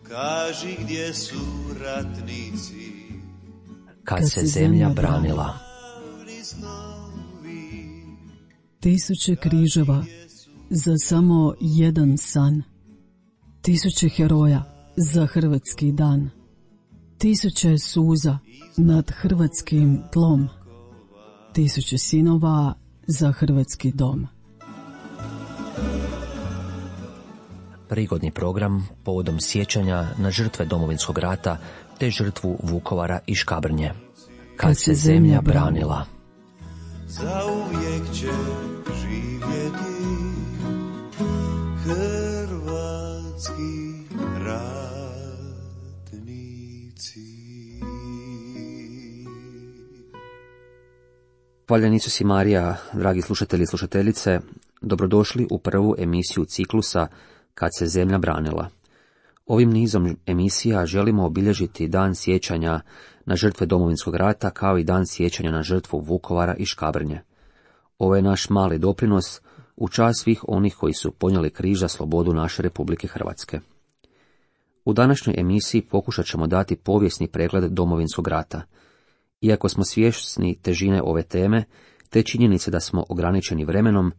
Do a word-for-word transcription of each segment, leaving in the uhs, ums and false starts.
kaži gdje su ratnici, kad se zemlja branila. Tisuće križeva za samo jedan san. Tisuće heroja za hrvatski dan. Tisuće suza nad hrvatskim tlom. Tisuće sinova za hrvatski dom. Prigodni program povodom sjećanja na žrtve Domovinskog rata te žrtvu Vukovara i Škabrnje. Kad se zemlja branila. Zauvijek će živjeti hrvatski ratnici. Hvaljen Isus i Marija, dragi slušatelji i slušateljice, dobrodošli u prvu emisiju ciklusa Kad se zemlja branila. Ovim nizom emisija želimo obilježiti dan sjećanja na žrtve Domovinskog rata kao i dan sjećanja na žrtvu Vukovara i Škabrnje. Ovo je naš mali doprinos u čast svih onih koji su ponijeli križ za slobodu naše Republike Hrvatske. U današnjoj emisiji pokušat ćemo dati povijesni pregled Domovinskog rata. Iako smo svjesni težine ove teme, te činjenice da smo ograničeni vremenom,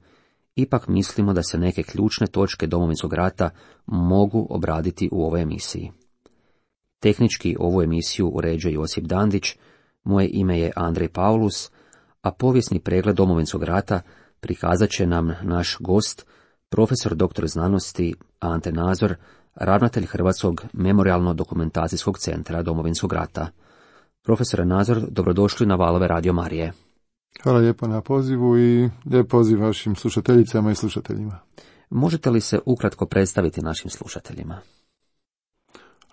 ipak mislimo da se neke ključne točke Domovinskog rata mogu obraditi u ovoj emisiji. Tehnički ovu emisiju uređuje Josip Dandić, moje ime je Andrej Paulus, a povijesni pregled Domovinskog rata prikazat će nam naš gost, profesor doktor znanosti Ante Nazor, ravnatelj Hrvatskog memorijalno-dokumentacijskog centra Domovinskog rata. Profesore Nazor, dobrodošli na valove Radio Marije. Hvala lijepo na pozivu i lijep poziv vašim slušateljicama i slušateljima. Možete li se ukratko predstaviti našim slušateljima?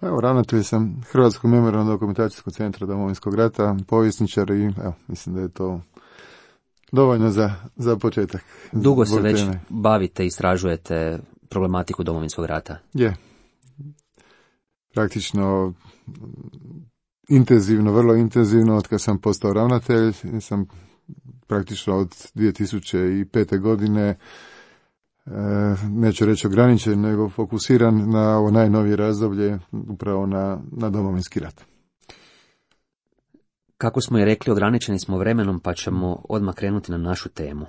Evo, ravnatelj sam Hrvatskog memorijalno-dokumentacijskog centra Domovinskog rata, povjesničar i evo, mislim da je to dovoljno za, za početak. Dugo se već teme. Bavite i istražujete problematiku Domovinskog rata? Je. Praktično intenzivno, vrlo intenzivno, od kad sam postao ravnatelj, sam praktično od dvije tisuće pete. godine, neću reći ograničen, nego fokusiran na ovo najnovije razdoblje, upravo na, na Domovinski rat. Kako smo i rekli, ograničeni smo vremenom, pa ćemo odmah krenuti na našu temu.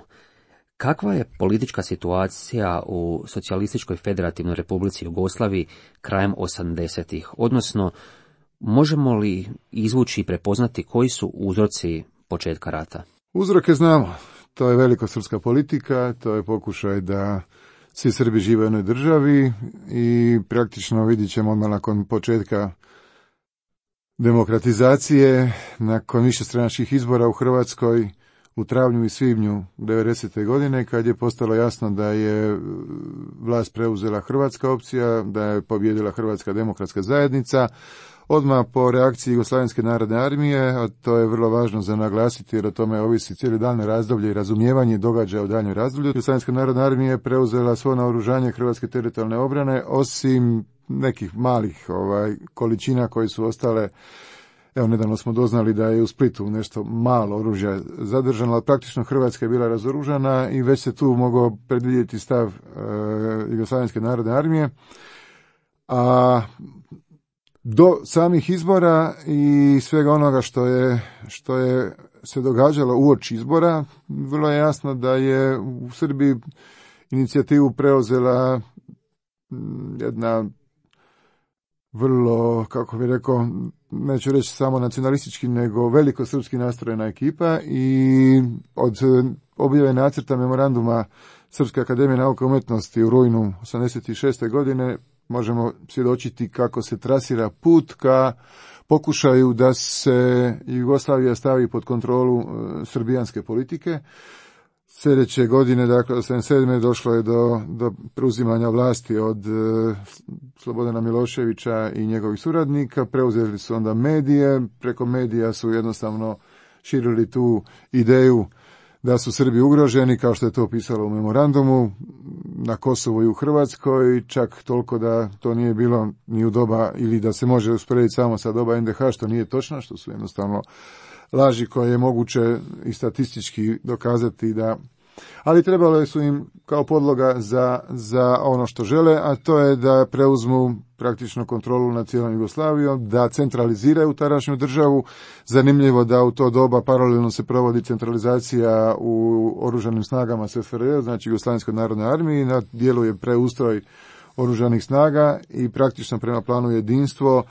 Kakva je politička situacija u Socijalističkoj federativnoj Republici Jugoslaviji krajem osamdesetih, odnosno možemo li izvući i prepoznati koji su uzroci početka rata? Uzroke znamo. To je velikosrpska politika, to je pokušaj da svi Srbi žive u jednoj državi i praktično vidjet ćemo odmah nakon početka demokratizacije, nakon višestranačkih izbora u Hrvatskoj u travnju i svibnju devedesete. godine, kad je postalo jasno da je vlast preuzela hrvatska opcija, da je pobijedila Hrvatska demokratska zajednica. Odmah po reakciji Jugoslavenske narodne armije, a to je vrlo važno za naglasiti jer o tome ovisi cijeli daljnje razdoblje i razumijevanje događaja u daljnjem razdoblju. Jugoslavenska narodna armija je preuzela svo naoružanje Hrvatske teritorijalne obrane, osim nekih malih ovaj, količina koje su ostale. Evo, nedavno smo doznali da je u Splitu nešto malo oružja zadržano, ali praktično Hrvatska je bila razoružana i već se tu mogao predvidjeti stav e, Jugoslavenske narodne armije. A do samih izbora i svega onoga što je, što je se događalo uoči izbora, vrlo je jasno da je u Srbiji inicijativu preuzela jedna vrlo, kako bih rekao, neću reći samo nacionalistički, nego velikosrpski nastrojena ekipa i od objave nacrta memoranduma Srpske akademije nauke i umjetnosti u rujnu osamdeset šeste. godine možemo svjedočiti kako se trasira put ka pokušaju da se Jugoslavija stavi pod kontrolu srbijanske politike. Sljedeće godine, dakle osamdeset sedme. došlo je do, do preuzimanja vlasti od e, Slobodana Miloševića i njegovih suradnika. Preuzeli su onda medije, preko medija su jednostavno širili tu ideju da su Srbi ugroženi, kao što je to pisalo u memorandumu, na Kosovu i u Hrvatskoj, čak toliko da to nije bilo ni u doba, ili da se može usporediti samo sa doba en de ha, što nije točno, što su jednostavno laži koje je moguće i statistički dokazati da ali trebalo su im kao podloga za, za ono što žele, a to je da preuzmu praktično kontrolu nad cijelom Jugoslavijom, da centraliziraju tadašnju državu. Zanimljivo da u to doba paralelno se provodi centralizacija u oružanim snagama S F R J, znači Jugoslavenskoj narodnoj armiji, na dijelu je preustroj oružanih snaga i praktično prema planu jedinstvo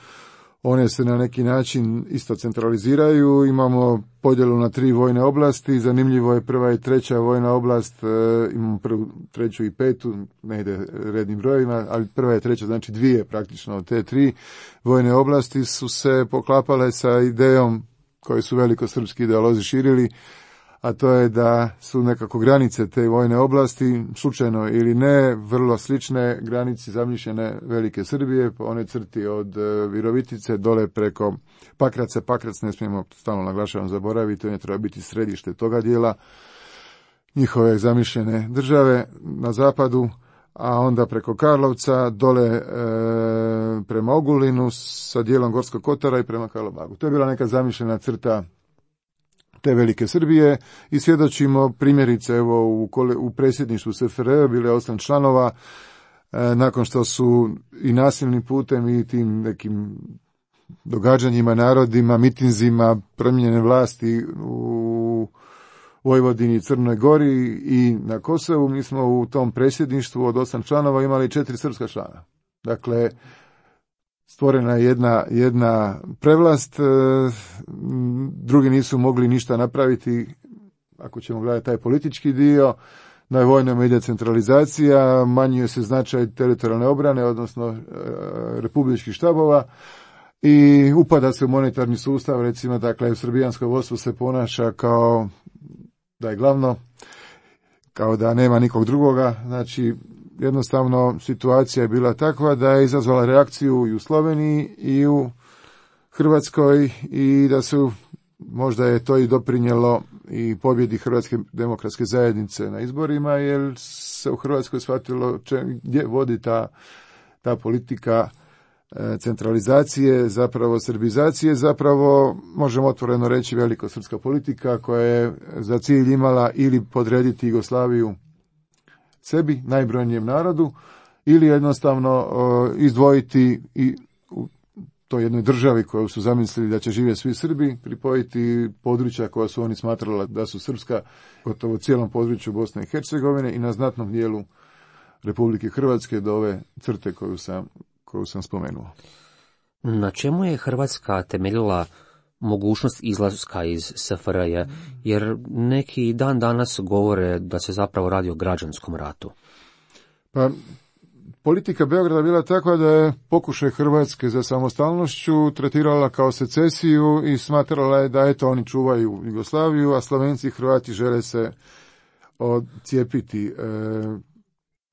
one se na neki način isto centraliziraju. Imamo podjelu na tri vojne oblasti. Zanimljivo je prva i treća vojna oblast, e, imamo prvu, treću i petu, ne ide rednim brojevima, ali prva i treća, znači dvije praktično od te tri vojne oblasti su se poklapale sa idejom koju su velikosrpski ideolozi širili, a to je da su nekako granice te vojne oblasti, slučajno ili ne, vrlo slične granici zamišljene Velike Srbije, po one crti od Virovitice dole preko Pakraca. Pakrac ne smijemo, stalno naglašavam, zaboraviti, on je treba biti središte toga dijela njihove zamišljene države na zapadu, a onda preko Karlovca dole e, prema Ogulinu sa dijelom Gorskog Kotara i prema Karlobagu. To je bila neka zamišljena crta te Velike Srbije i svjedočimo primjerice evo u, u predsjedništvu S F R J bilo je osam članova e, nakon što su i nasilnim putem i tim nekim događanjima, narodima, mitinzima promijenjene vlasti u Vojvodini, Crnoj Gori i na Kosovu. Mi smo u tom predsjedništvu od osam članova imali četiri srpska člana. Dakle, stvorena je jedna, jedna prevlast, drugi nisu mogli ništa napraviti, ako ćemo gledati taj politički dio. Na vojnom ide centralizacija, manjuje se značaj teritorijalne obrane, odnosno republičkih štabova, i upada se u monetarni sustav, recimo, dakle, srbijansko vodstvo se ponaša kao da je glavno, kao da nema nikog drugoga, znači jednostavno situacija je bila takva da je izazvala reakciju i u Sloveniji i u Hrvatskoj i da su, možda je to i doprinijelo i pobjedi Hrvatske demokratske zajednice na izborima, jer se u Hrvatskoj shvatilo če, gdje vodi ta, ta politika centralizacije, zapravo srbizacije, zapravo možemo otvoreno reći velikosrpska politika koja je za cilj imala ili podrediti Jugoslaviju sebi, najbrojnijem narodu, ili jednostavno uh, izdvojiti i u toj jednoj državi koju su zamislili da će živjeti svi Srbi, pripojiti područja koja su oni smatrali da su srpska, gotovo u cijelom području Bosne i Hercegovine i na znatnom dijelu Republike Hrvatske do ove crte koju sam, koju sam spomenuo. Na čemu je Hrvatska temeljila mogućnost izlaska iz S F R J, jer neki dan danas govore da se zapravo radi o građanskom ratu? Pa, politika Beograda bila takva da je pokušaj Hrvatske za samostalnošću tretirala kao secesiju i smatrala je da eto oni čuvaju Jugoslaviju, a Slovenci i Hrvati žele se odcijepiti. E,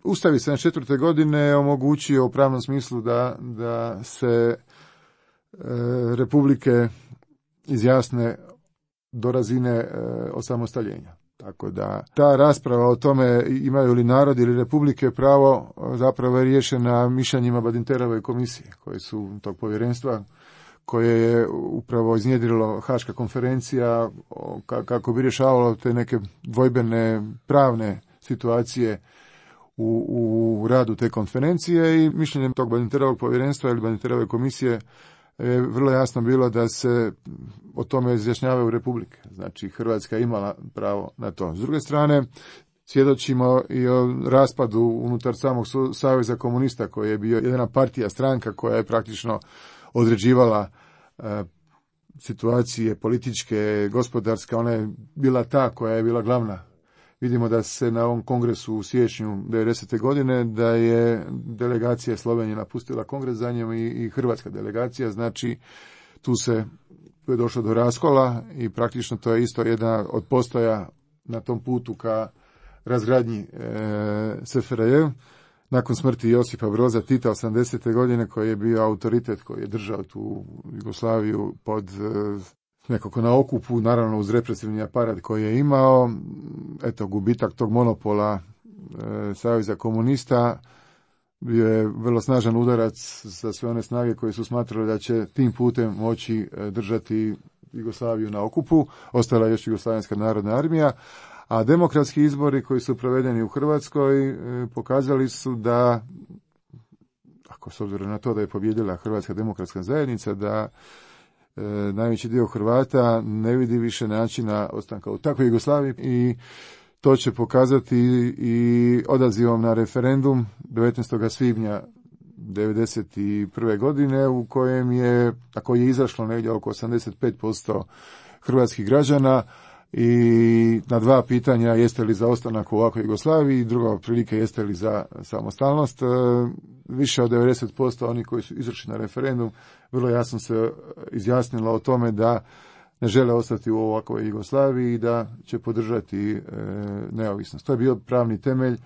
Ustav sedamdeset četvrte godine omogućio u pravnom smislu da, da se e, republike izjasne do razine e, osamostaljenja. Tako da ta rasprava o tome imaju li narod ili republike pravo zapravo je riješena mišljenjima Badinterove komisije, koje su tog povjerenstva koje je upravo iznjedrilo Haška konferencija kako bi rješavalo te neke dvojbene pravne situacije u, u radu te konferencije, i mišljenjem tog Badinterovog povjerenstva ili Badinterove komisije je vrlo jasno bilo da se o tome izjašnjavaju republike. Znači, Hrvatska imala pravo na to. S druge strane, svjedočimo i o raspadu unutar samog Saveza komunista, koji je bio jedna partija, stranka koja je praktično određivala e, situacije političke, gospodarske. Ona je bila ta koja je bila glavna. Vidimo da se na ovom kongresu u siječnju devedesete godine da je delegacija Slovenije napustila kongres za njom i, i hrvatska delegacija, znači tu se tu je došlo do raskola i praktično to je isto jedna od postoja na tom putu ka razgradnji e, S F R J. Nakon smrti Josipa Broza Tita osamdesete godine, koji je bio autoritet koji je držao tu Jugoslaviju pod e, nekako na okupu, naravno uz represivni aparat koji je imao, eto, gubitak tog monopola e, Saveza komunista bio je vrlo snažan udarac za sve one snage koji su smatrali da će tim putem moći e, držati Jugoslaviju na okupu. Ostala je još Jugoslavenska narodna armija, A demokratski izbori koji su provedeni u Hrvatskoj e, pokazali su da, ako s obzirom na to da je pobijedila Hrvatska demokratska zajednica, da e, najveći dio Hrvata ne vidi više načina ostanka u takvoj Jugoslaviji i to će pokazati i odazivom na referendum devetnaestog svibnja devedeset prve godine u kojem je, a koji je izašlo negdje oko osamdeset pet posto hrvatskih građana i na dva pitanja jeste li za ostanak u ovakvoj Jugoslaviji i druga prilike jeste li za samostalnost. Više od devedeset posto oni koji su izašli na referendum vrlo jasno se izjasnilo o tome da ne žele ostati u ovakvoj Jugoslaviji i da će podržati e, neovisnost. To je bio pravni temelj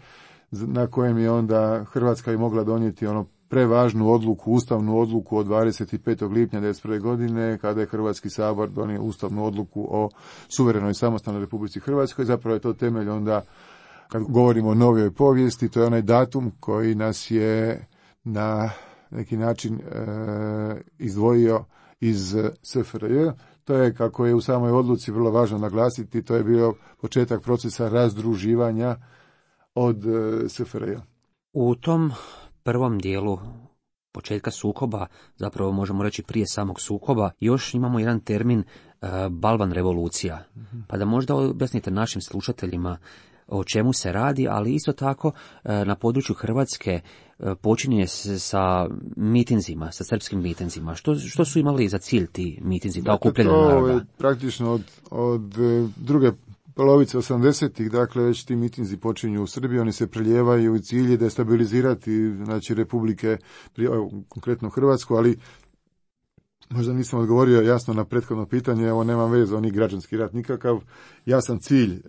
na kojem je onda Hrvatska i mogla donijeti ono prevažnu odluku, ustavnu odluku od dvadeset petog lipnja devedeset prve godine, kada je Hrvatski sabor donio ustavnu odluku o suverenoj samostalnoj Republici Hrvatskoj. Zapravo je to temelj onda, kad govorimo o novijoj povijesti, to je onaj datum koji nas je na neki način e, izdvojio iz S F R J. To je, kako je u samoj odluci vrlo važno naglasiti, to je bio početak procesa razdruživanja od e, S F R J. U tom prvom dijelu početka sukoba, zapravo možemo reći prije samog sukoba, još imamo jedan termin e, Balvan revolucija. Mm-hmm. Pa da možda objasnite našim slušateljima o čemu se radi, ali isto tako e, na području Hrvatske e, počinje se sa mitinzima, sa srpskim mitinzima. Što, što su imali za cilj ti mitinzi, da okupljaju naroda? To je praktično od, od druge polovice osamdesetih, dakle već ti mitinzi počinju u Srbiji, oni se prelijevaju i cilj je destabilizirati, znači republike, konkretno Hrvatsku, ali možda nisam odgovorio jasno na prethodno pitanje, evo nemam veze, oni građanski rat nikakav, jasan cilj e,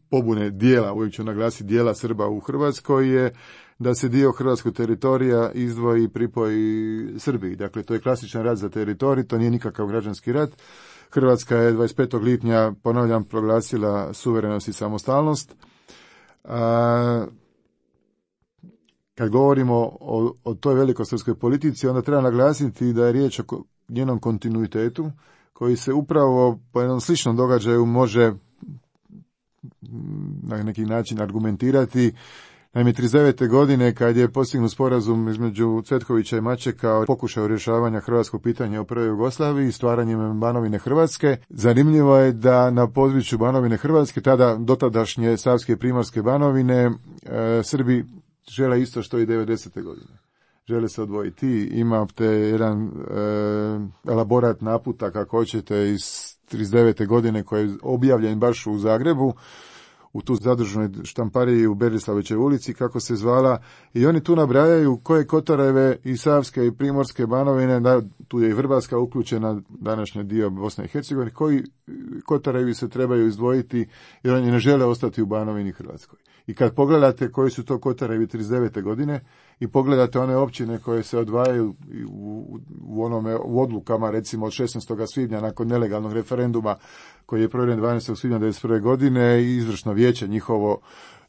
pobune dijela, uvijek ću naglasiti dijela Srba u Hrvatskoj je da se dio hrvatskog teritorija izdvoji i pripoji Srbiji. Dakle, to je klasičan rat za teritorij, to nije nikakav građanski rat. Hrvatska je dvadeset petog lipnja, ponavljam, proglasila suverenost i samostalnost. A, kad govorimo o, o toj velikosrpskoj politici, onda treba naglasiti da je riječ o njenom kontinuitetu, koji se upravo po jednom sličnom događaju može na neki način argumentirati. Naime, trideset devete godine, kad je postignut sporazum između Cvetkovića i Mačeka o pokušaju rješavanja hrvatskog pitanja u prvoj Jugoslaviji, stvaranjem Banovine Hrvatske, zanimljivo je da na području Banovine Hrvatske, tada dotadašnje Savske i Primorske Banovine, e, Srbi žele isto što i devedesete godine. Žele se odvojiti. Imate jedan e, elaborat naputak, ako hoćete, iz trideset devete godine koji je objavljen baš u Zagrebu, u tu zadružnoj štampariji u Berislavićevoj ulici, kako se zvala, i oni tu nabrajaju koje Kotoreve i Savske i Primorske Banovine, da, tu je i Vrbarska uključena, današnji dio Bosne i Hercegovine, koji Kotorevi se trebaju izdvojiti jer oni ne žele ostati u Banovini Hrvatskoj. I kad pogledate koji su to Kotorevi trideset devete godine i pogledate one općine koje se odvajaju u, u onome u odlukama, recimo od šesnaestog svibnja nakon nelegalnog referenduma koji je proveden dvanaestog svibnja devedeset prve godine i izvršno vijeće njihovo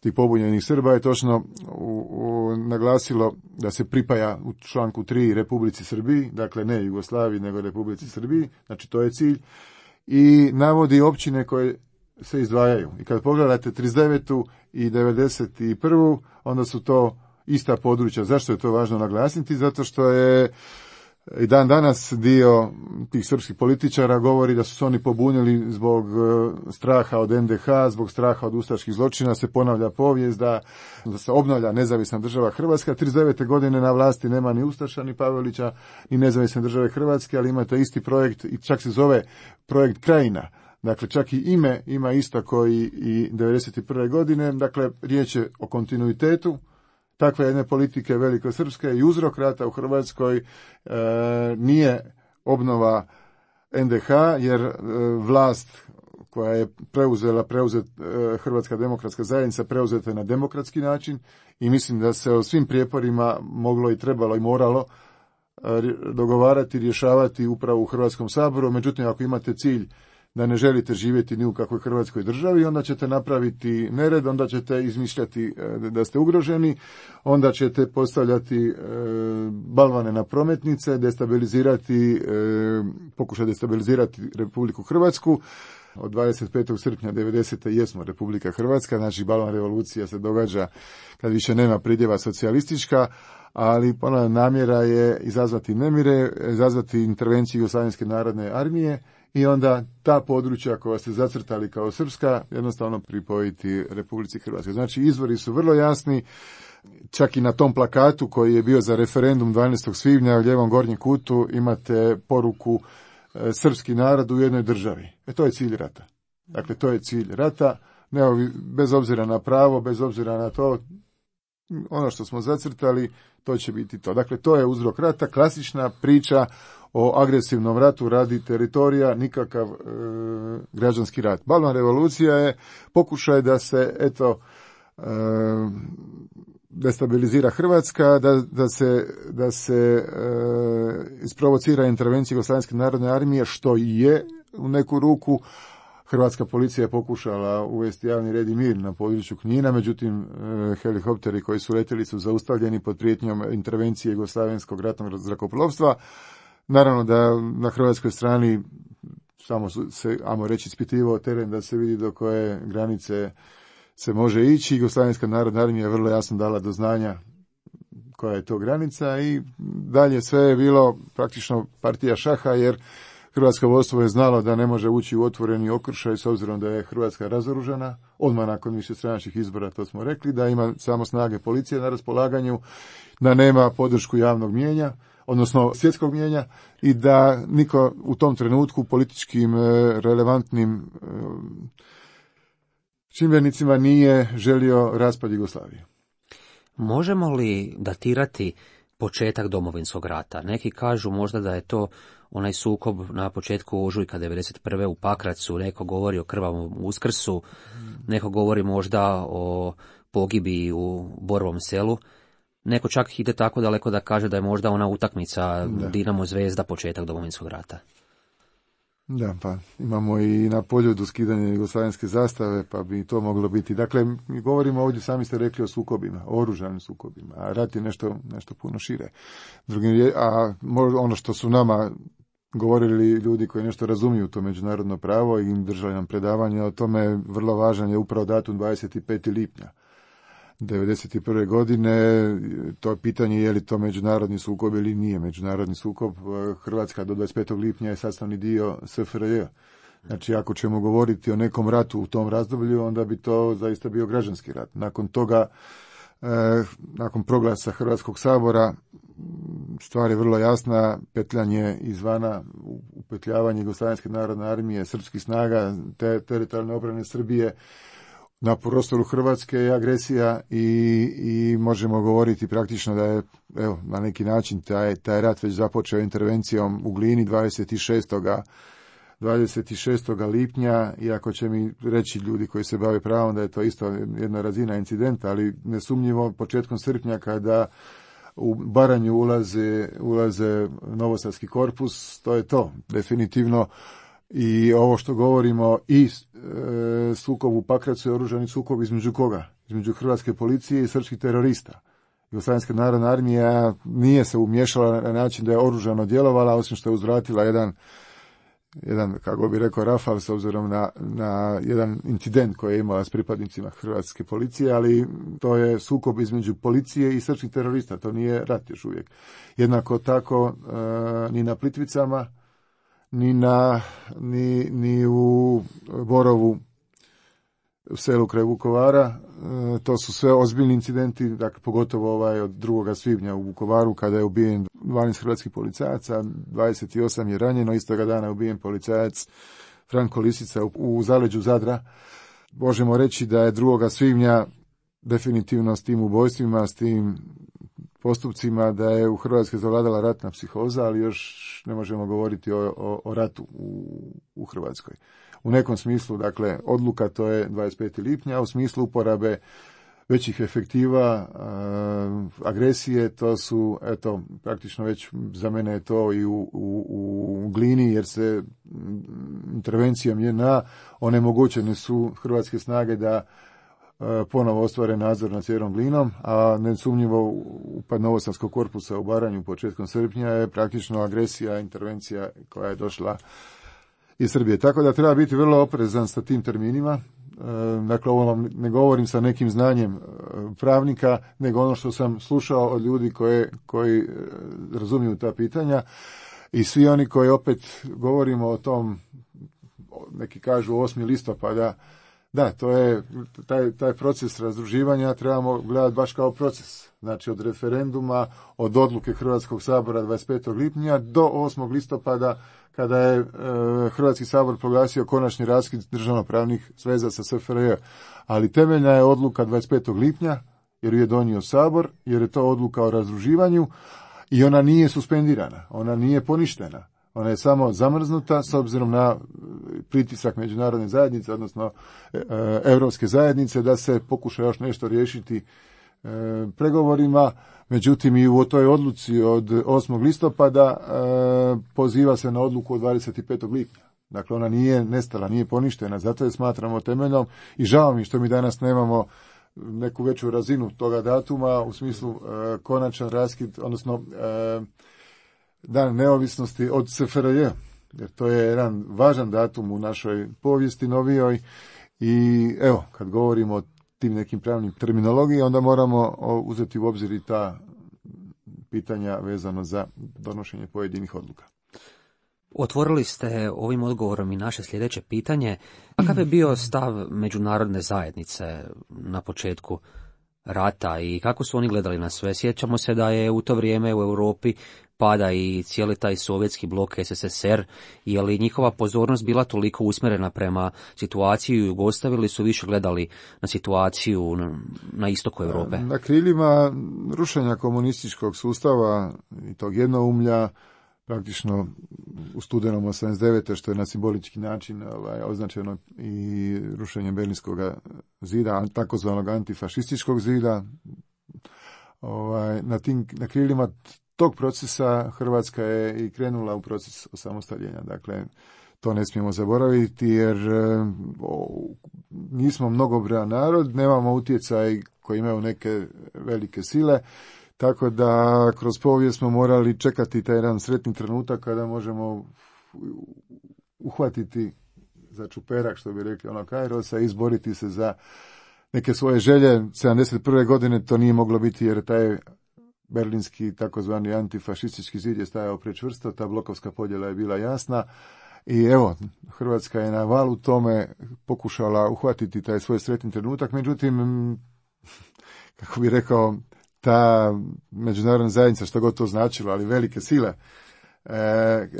tih pobunjenih Srba je točno u, u, naglasilo da se pripaja u članku tri Republici Srbiji, dakle ne Jugoslaviji nego Republici Srbiji, znači to je cilj, i navodi općine koje se izdvajaju. I kad pogledate trideset devetu i devedeset prvu onda su to ista područja. Zašto je to važno naglasiti? Zato što je i dan danas dio tih srpskih političara govori da su se oni pobunili zbog straha od en de ha, zbog straha od ustaških zločina, se ponavlja povijest da, da se obnavlja nezavisna država Hrvatska. trideset devete godine na vlasti nema ni Ustaša, ni Pavelića, ni nezavisne države Hrvatske, ali imate isti projekt i čak se zove projekt Krajina. Dakle, čak i ime ima isto koji i devedeset prve godine. Dakle, riječ je o kontinuitetu takve jedne politike velikosrpske i uzrok rata u Hrvatskoj e, nije obnova en de ha, jer e, vlast koja je preuzela, preuzet, e, Hrvatska demokratska zajednica preuzeta na demokratski način i mislim da se o svim prijeporima moglo i trebalo i moralo e, dogovarati, rješavati upravo u Hrvatskom saboru. Međutim, ako imate cilj da ne želite živjeti ni u kakvoj Hrvatskoj državi, onda ćete napraviti nered, onda ćete izmišljati da ste ugroženi, onda ćete postavljati e, balvane na prometnice, destabilizirati, e, pokušati destabilizirati Republiku Hrvatsku. od dvadeset petog srpnja devedesete jesmo Republika Hrvatska, znači balon revolucija se događa kad više nema pridjeva socijalistička, ali ponavljam, namjera je izazvati nemire, izazvati intervenciju Jugoslavenske narodne armije i onda ta područja koja ste zacrtali kao srpska jednostavno pripojiti Republici Hrvatskoj. Znači izvori su vrlo jasni, čak i na tom plakatu koji je bio za referendum dvanaestog svibnja u ljevom gornjem kutu imate poruku e, srpski narod u jednoj državi. E to je cilj rata. Dakle, to je cilj rata, ne, bez obzira na pravo, bez obzira na to, ono što smo zacrtali, to će biti to. Dakle, to je uzrok rata, klasična priča o agresivnom ratu radi teritorija, nikakav e, građanski rat. Balvan revolucija je pokušaj da se, eto, e, destabilizira Hrvatska, da, da se, da se e, isprovocira intervencija Jugoslavenske narodne armije, što i je u neku ruku. Hrvatska policija je pokušala uvesti javni red i mir na području Knina, međutim e, helikopteri koji su letjeli su zaustavljeni pod prijetnjom intervencije Jugoslavenskog ratnog zrakoplovstva. Naravno da na hrvatskoj strani samo se, ajmo reći, ispitivao teren da se vidi do koje granice se može ići. Jugoslavenska narodna armija je vrlo jasno dala do znanja koja je to granica i dalje sve je bilo praktično partija šaha, jer hrvatsko vodstvo je znalo da ne može ući u otvoreni okršaj s obzirom da je Hrvatska razoružana, odmah nakon višestranačkih izbora, to smo rekli, da ima samo snage policije na raspolaganju, da nema podršku javnog mijenja, odnosno svjetskog mijenja, i da niko u tom trenutku političkim relevantnim čimbenicima nije želio raspad Jugoslavije. Možemo li datirati početak Domovinskog rata? Neki kažu možda da je to onaj sukob na početku ožujka devedeset prve u Pakracu, neko govori o krvavom Uskrsu, neko govori možda o pogibiji u Borovom Selu. Neko čak ide tako daleko da kaže da je možda ona utakmica da. Dinamo Zvezda početak Domovinskog rata. Da, pa imamo i na Poljudu skidanje jugoslavenske zastave, pa bi to moglo biti. Dakle, mi govorimo ovdje, sami ste rekli, o sukobima, o oružanim sukobima, a rat je nešto, nešto puno šire. Drugim, a ono što su nama govorili ljudi koji nešto razumiju to međunarodno pravo i držali nam predavanje o tome, vrlo važan je upravo datum dvadeset petog lipnja devedeset prve godine. To je pitanje je li to međunarodni sukob ili nije međunarodni sukob. Hrvatska do dvadeset petog lipnja je sastavni dio S F R J. Znači, ako ćemo govoriti o nekom ratu u tom razdoblju, onda bi to zaista bio građanski rat. Nakon toga, eh, nakon proglasa Hrvatskog sabora, stvar je vrlo jasna, petljanje izvana, upetljavanje Jugoslavenske narodne armije, srpskih snaga, te teritorijalne obrane Srbije na prostoru Hrvatske je agresija i, i možemo govoriti praktično da je, evo, na neki način taj, taj rat već započeo intervencijom u Glini dvadeset šestog lipnja, iako će mi reći ljudi koji se bave pravom da je to isto jedna razina incidenta, ali nesumnjivo početkom srpnja kada u Baranju ulaze, ulaze Novosadski korpus, to je to, definitivno. I ovo što govorimo i e, sukob u Pakracu je oružani sukob između koga? Između hrvatske policije i srpskih terorista. Jugoslavenska narodna armija nije se umješala na način da je oružano djelovala, osim što je uzvratila jedan, jedan kako bi rekao, rafal s obzirom na, na jedan incident koji je imala s pripadnicima hrvatske policije, ali to je sukob između policije i srpskih terorista, to nije rat još uvijek. Jednako tako e, ni na Plitvicama, ni na ni, ni u Borovu, u selu kraj Vukovara, e, to su sve ozbiljni incidenti, dakle pogotovo ovaj od drugoga svibnja u Vukovaru kada je ubijen dvanaest hrvatskih policajaca, dvadeset osam je ranjeno, istoga dana je ubijen policajac Franko Lisica u, u zaleđu Zadra. Možemo reći da je drugoga svibnja definitivno s tim ubojstvima, s tim postupcima, da je u Hrvatskoj zavladala ratna psihoza, ali još ne možemo govoriti o, o, o ratu u, u Hrvatskoj. U nekom smislu, dakle, odluka to je dvadeset petog lipnja, a u smislu uporabe većih efektiva, a, agresije, to su, eto, praktično već za mene je to i u, u, u Glini, jer se intervencijom J N A onemogućene su hrvatske snage da ponovo ostvare nadzor nad cijelom Glinom, a nesumnjivo upad Novosadskog korpusa u Baranju početkom srpnja je praktično agresija, intervencija koja je došla i Srbije. Tako da treba biti vrlo oprezan sa tim terminima. Dakle, ovo vam ne govorim sa nekim znanjem pravnika, nego ono što sam slušao od ljudi koje, koji razumiju ta pitanja i svi oni koji opet govorimo o tom, neki kažu osmog listopada, da, to je taj, taj proces razdruživanja trebamo gledati baš kao proces. Znači od referenduma, od odluke Hrvatskog sabora dvadeset petog lipnja do osmog listopada kada je e, Hrvatski sabor proglasio konačni raskid državnopravnih sveza sa S F R J. Ali temeljna je odluka dvadeset petog lipnja jer ju je donio sabor, jer je to odluka o razdruživanju i ona nije suspendirana, ona nije poništena. Ona je samo zamrznuta s obzirom na pritisak međunarodne zajednice, odnosno e, Europske zajednice, da se pokuša još nešto riješiti e, pregovorima. Međutim, i u toj odluci od osmog listopada e, poziva se na odluku od dvadeset petog lipnja. Dakle, ona nije nestala, nije poništena, zato je smatramo temeljnom i žao mi što mi danas nemamo neku veću razinu toga datuma u smislu e, konačan raskid, odnosno e, dan neovisnosti od S F R J, jer to je jedan važan datum u našoj povijesti novijoj i evo, kad govorimo o tim nekim pravnim terminologiji, onda moramo uzeti u obzir i ta pitanja vezano za donošenje pojedinih odluka. Otvorili ste ovim odgovorom i naše sljedeće pitanje. Kakav je bio stav međunarodne zajednice na početku rata i kako su oni gledali na sve? Sjećamo se da je u to vrijeme u Europi pada i cijeli taj sovjetski blok S S S R, je li njihova pozornost bila toliko usmjerena prema situaciji u Jugoslaviji ili su više gledali na situaciju na, na istoku Europe? Na krilima rušenja komunističkog sustava i tog jednoumlja, praktično u studenom osamdeset devete što je na simbolički način ovaj, označeno i rušenje Berlinskog zida, takozvanog antifašističkog zida, ovaj, na tim na krilima tog procesa Hrvatska je i krenula u proces osamostaljenja. Dakle, to ne smijemo zaboraviti jer o, nismo mnogobrojan narod, nemamo utjecaj koji imaju neke velike sile, tako da kroz povijest smo morali čekati taj jedan sretni trenutak kada možemo uhvatiti za čuperak, što bi rekli ono Kairosa, i izboriti se za neke svoje želje. sedamdeset prve godine to nije moglo biti jer taj berlinski takozvani antifašistički zid je stajao prečvrsto, ta blokovska podjela je bila jasna i evo, Hrvatska je na valu tome pokušala uhvatiti taj svoj sretni trenutak, međutim, kako bi rekao, ta međunarodna zajednica, što god to značilo, ali velike sile, e,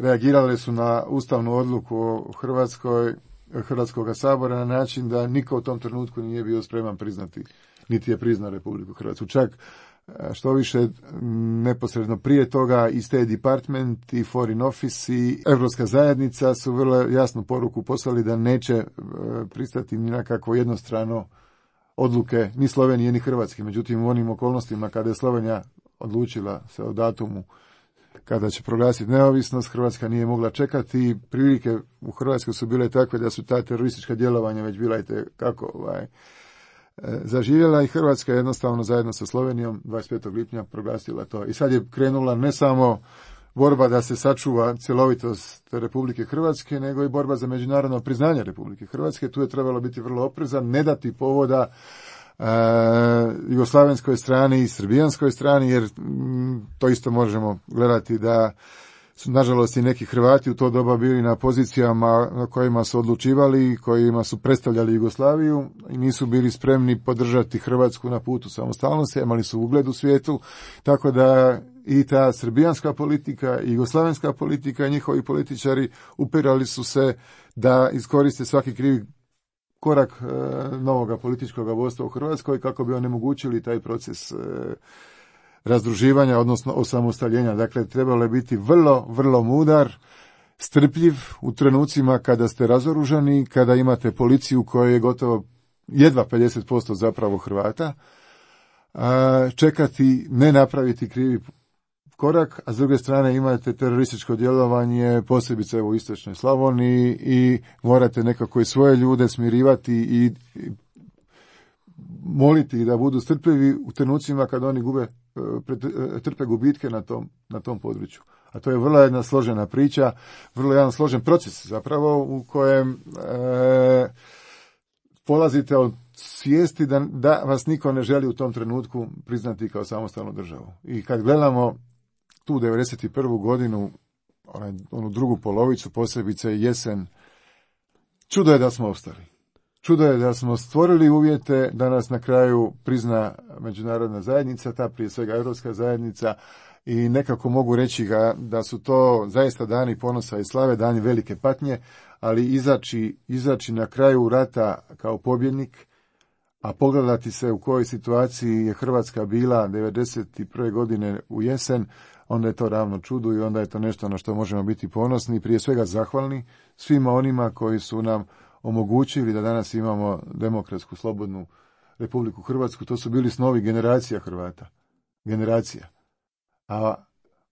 reagirale su na ustavnu odluku o Hrvatskoj, Hrvatskoga sabora na način da niko u tom trenutku nije bio spreman priznati, niti je priznao Republiku Hrvatsku. Čak što više, neposredno prije toga i State Department i Foreign Office i Europska zajednica su vrlo jasnu poruku poslali da neće pristati ni na kakvo jednostrano odluke ni Slovenije ni Hrvatske. Međutim, u onim okolnostima kada je Slovenija odlučila se o datumu kada će proglasiti neovisnost, Hrvatska nije mogla čekati. Prilike u Hrvatskoj su bile takve da su ta teroristička djelovanja već bila i kako ovaj, zaživjela i Hrvatska jednostavno zajedno sa Slovenijom dvadeset petog lipnja proglasila to. I sad je krenula ne samo borba da se sačuva cjelovitost Republike Hrvatske, nego i borba za međunarodno priznanje Republike Hrvatske. Tu je trebalo biti vrlo oprezan, ne dati povoda e, jugoslavenskoj strani i srbijanskoj strani, jer m, to isto možemo gledati da su nažalost i neki Hrvati u to doba bili na pozicijama na kojima su odlučivali, kojima su predstavljali Jugoslaviju i nisu bili spremni podržati Hrvatsku na putu samostalnosti, imali su ugled u svijetu, tako da i ta srbijanska politika i jugoslavenska politika i njihovi političari upirali su se da iskoriste svaki krivi korak e, novoga političkog vodstva u Hrvatskoj kako bi onemogućili taj proces e, razdruživanja, odnosno osamostaljenja. Dakle, trebalo je biti vrlo, vrlo mudar, strpljiv u trenucima kada ste razoružani, kada imate policiju koja je gotovo jedva pedeset posto zapravo Hrvata, a čekati, ne napraviti krivi korak, a s druge strane imate terorističko djelovanje, posebice u istočnoj Slavoniji i morate nekako i svoje ljude smirivati i, i moliti da budu strpljivi u trenucima kad oni gube trpe gubitke na tom, na tom području. A to je vrlo jedna složena priča, vrlo jedan složen proces zapravo u kojem e, polazite od svijesti da, da vas niko ne želi u tom trenutku priznati kao samostalnu državu. I kad gledamo tu devedeset prvu godinu, onaj, onu drugu polovicu, posebice jesen, čudo je da smo ostali. Čudo je da smo stvorili uvjete da nas na kraju prizna međunarodna zajednica, ta prije svega europska zajednica, i nekako mogu reći ga da su to zaista dani ponosa i slave, dani velike patnje, ali izaći, izaći na kraju rata kao pobjednik, a pogledati se u kojoj situaciji je Hrvatska bila devedeset prve godine u jesen, onda je to ravno čudu i onda je to nešto na što možemo biti ponosni i prije svega zahvalni svima onima koji su nam omogućili da danas imamo demokratsku, slobodnu Republiku Hrvatsku. To su bili snovi generacija Hrvata. Generacija. A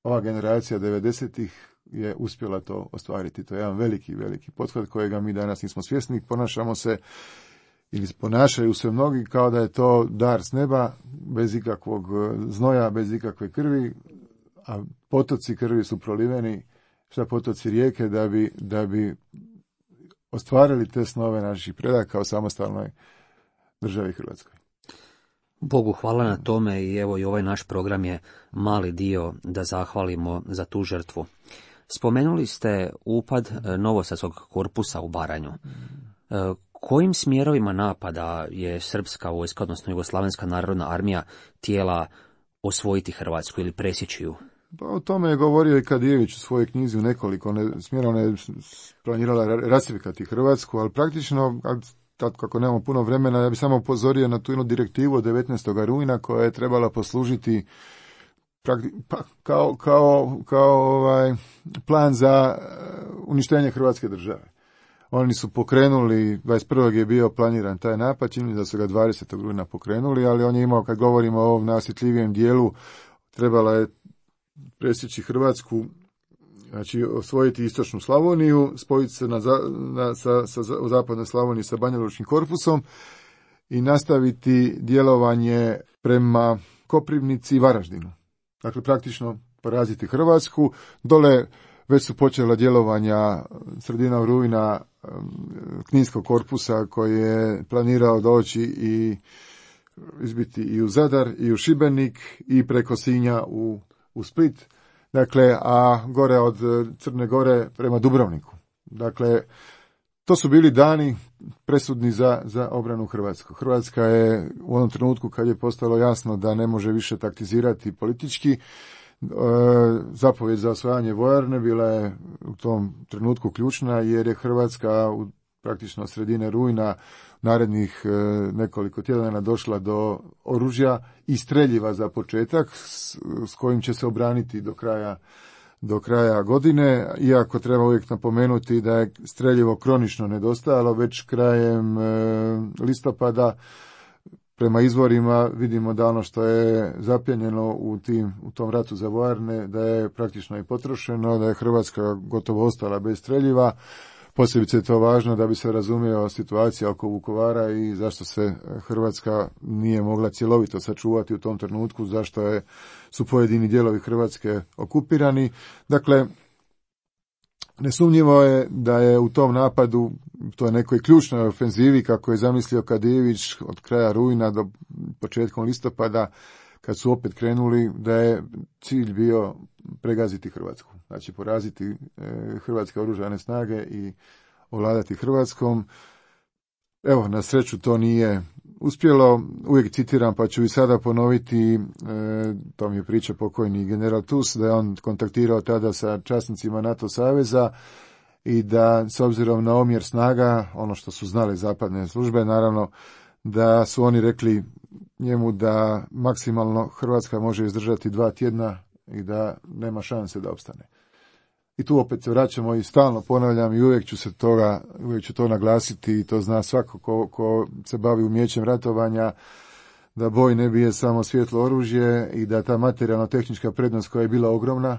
ova generacija devedesetih je uspjela to ostvariti. To je jedan veliki, veliki pothvat kojega mi danas nismo svjesni. Ponašamo se ili ponašaju se mnogi kao da je to dar s neba, bez ikakvog znoja, bez ikakve krvi, a potoci krvi su proliveni, šta potoci rijeke, da bi, da bi ostvarili te snove naših predaka o samostalnoj državi Hrvatskoj. Bogu hvala na tome i evo i ovaj naš program je mali dio da zahvalimo za tu žrtvu. Spomenuli ste upad Novosadskog korpusa u Baranju. Kojim smjerovima napada je srpska vojska, odnosno Jugoslavenska narodna armija, tijela osvojiti Hrvatsku ili presjeći ju? Pa o tome je govorio i Kadijević u svojoj knjizi u nekoliko ne, smjera. Ona je planirala rasipkati Hrvatsku, ali praktično, tad kako nemamo puno vremena, ja bih samo upozorio na tu jednu direktivu od devetnaestog rujna koja je trebala poslužiti prakti, pa, kao, kao, kao ovaj, plan za uništenje Hrvatske države. Oni su pokrenuli, dvadeset prvog je bio planiran taj napad, čini da su ga dvadesetog rujna pokrenuli, ali on je imao, kad govorimo o ovom najosjetljivijem dijelu, trebala je presjeći Hrvatsku, znači osvojiti istočnu Slavoniju, spojiti se na, na, sa, sa, u zapadnoj Slavoniji sa Banjalučkim korpusom i nastaviti djelovanje prema Koprivnici i Varaždinu. Dakle, praktično poraziti Hrvatsku. Dole već su počela djelovanja sredinom rujna Kninskog korpusa koji je planirao doći i izbiti i u Zadar i u Šibenik i preko Sinja u, u Split. Dakle, a gore od Crne Gore prema Dubrovniku. Dakle, to su bili dani presudni za, za obranu Hrvatsku. Hrvatska je u onom trenutku kad je postalo jasno da ne može više taktizirati politički, e, zapovjed za osvajanje vojarne bila je u tom trenutku ključna, jer je Hrvatska u praktično sredine rujna narednih e, nekoliko tjedana došla do oružja i streljiva za početak s, s kojim će se obraniti do kraja do kraja godine, iako treba uvijek napomenuti da je streljivo kronično nedostajalo, već krajem e, listopada prema izvorima vidimo da ono što je zapljenjeno u, tim, u tom ratu za vojarne, da je praktično i potrošeno, da je Hrvatska gotovo ostala bez streljiva. Posebice je to važno da bi se razumio situacija oko Vukovara i zašto se Hrvatska nije mogla cjelovito sačuvati u tom trenutku, zašto je, su pojedini dijelovi Hrvatske okupirani. Dakle, nesumnjivo je da je u tom napadu, to je nekoj ključnoj ofenzivi, kako je zamislio Kadijević od kraja rujna do početkom listopada, kad su opet krenuli, da je cilj bio pregaziti Hrvatsku. Znači poraziti e, hrvatske oružane snage i ovladati Hrvatskom. Evo, na sreću to nije uspjelo. Uvijek citiram, pa ću i sada ponoviti, e, to mi je priča pokojni general Tus, da je on kontaktirao tada sa časnicima NATO saveza i da s obzirom na omjer snaga, ono što su znale zapadne službe, naravno, da su oni rekli njemu da maksimalno Hrvatska može izdržati dva tjedna i da nema šanse da opstane. I tu opet se vraćamo i stalno ponavljam i uvijek ću se toga, uvijek ću to naglasiti i to zna svako ko, ko se bavi umjećem ratovanja, da boj ne bije samo svjetlo oružje i da ta materijalno-tehnička prednost koja je bila ogromna,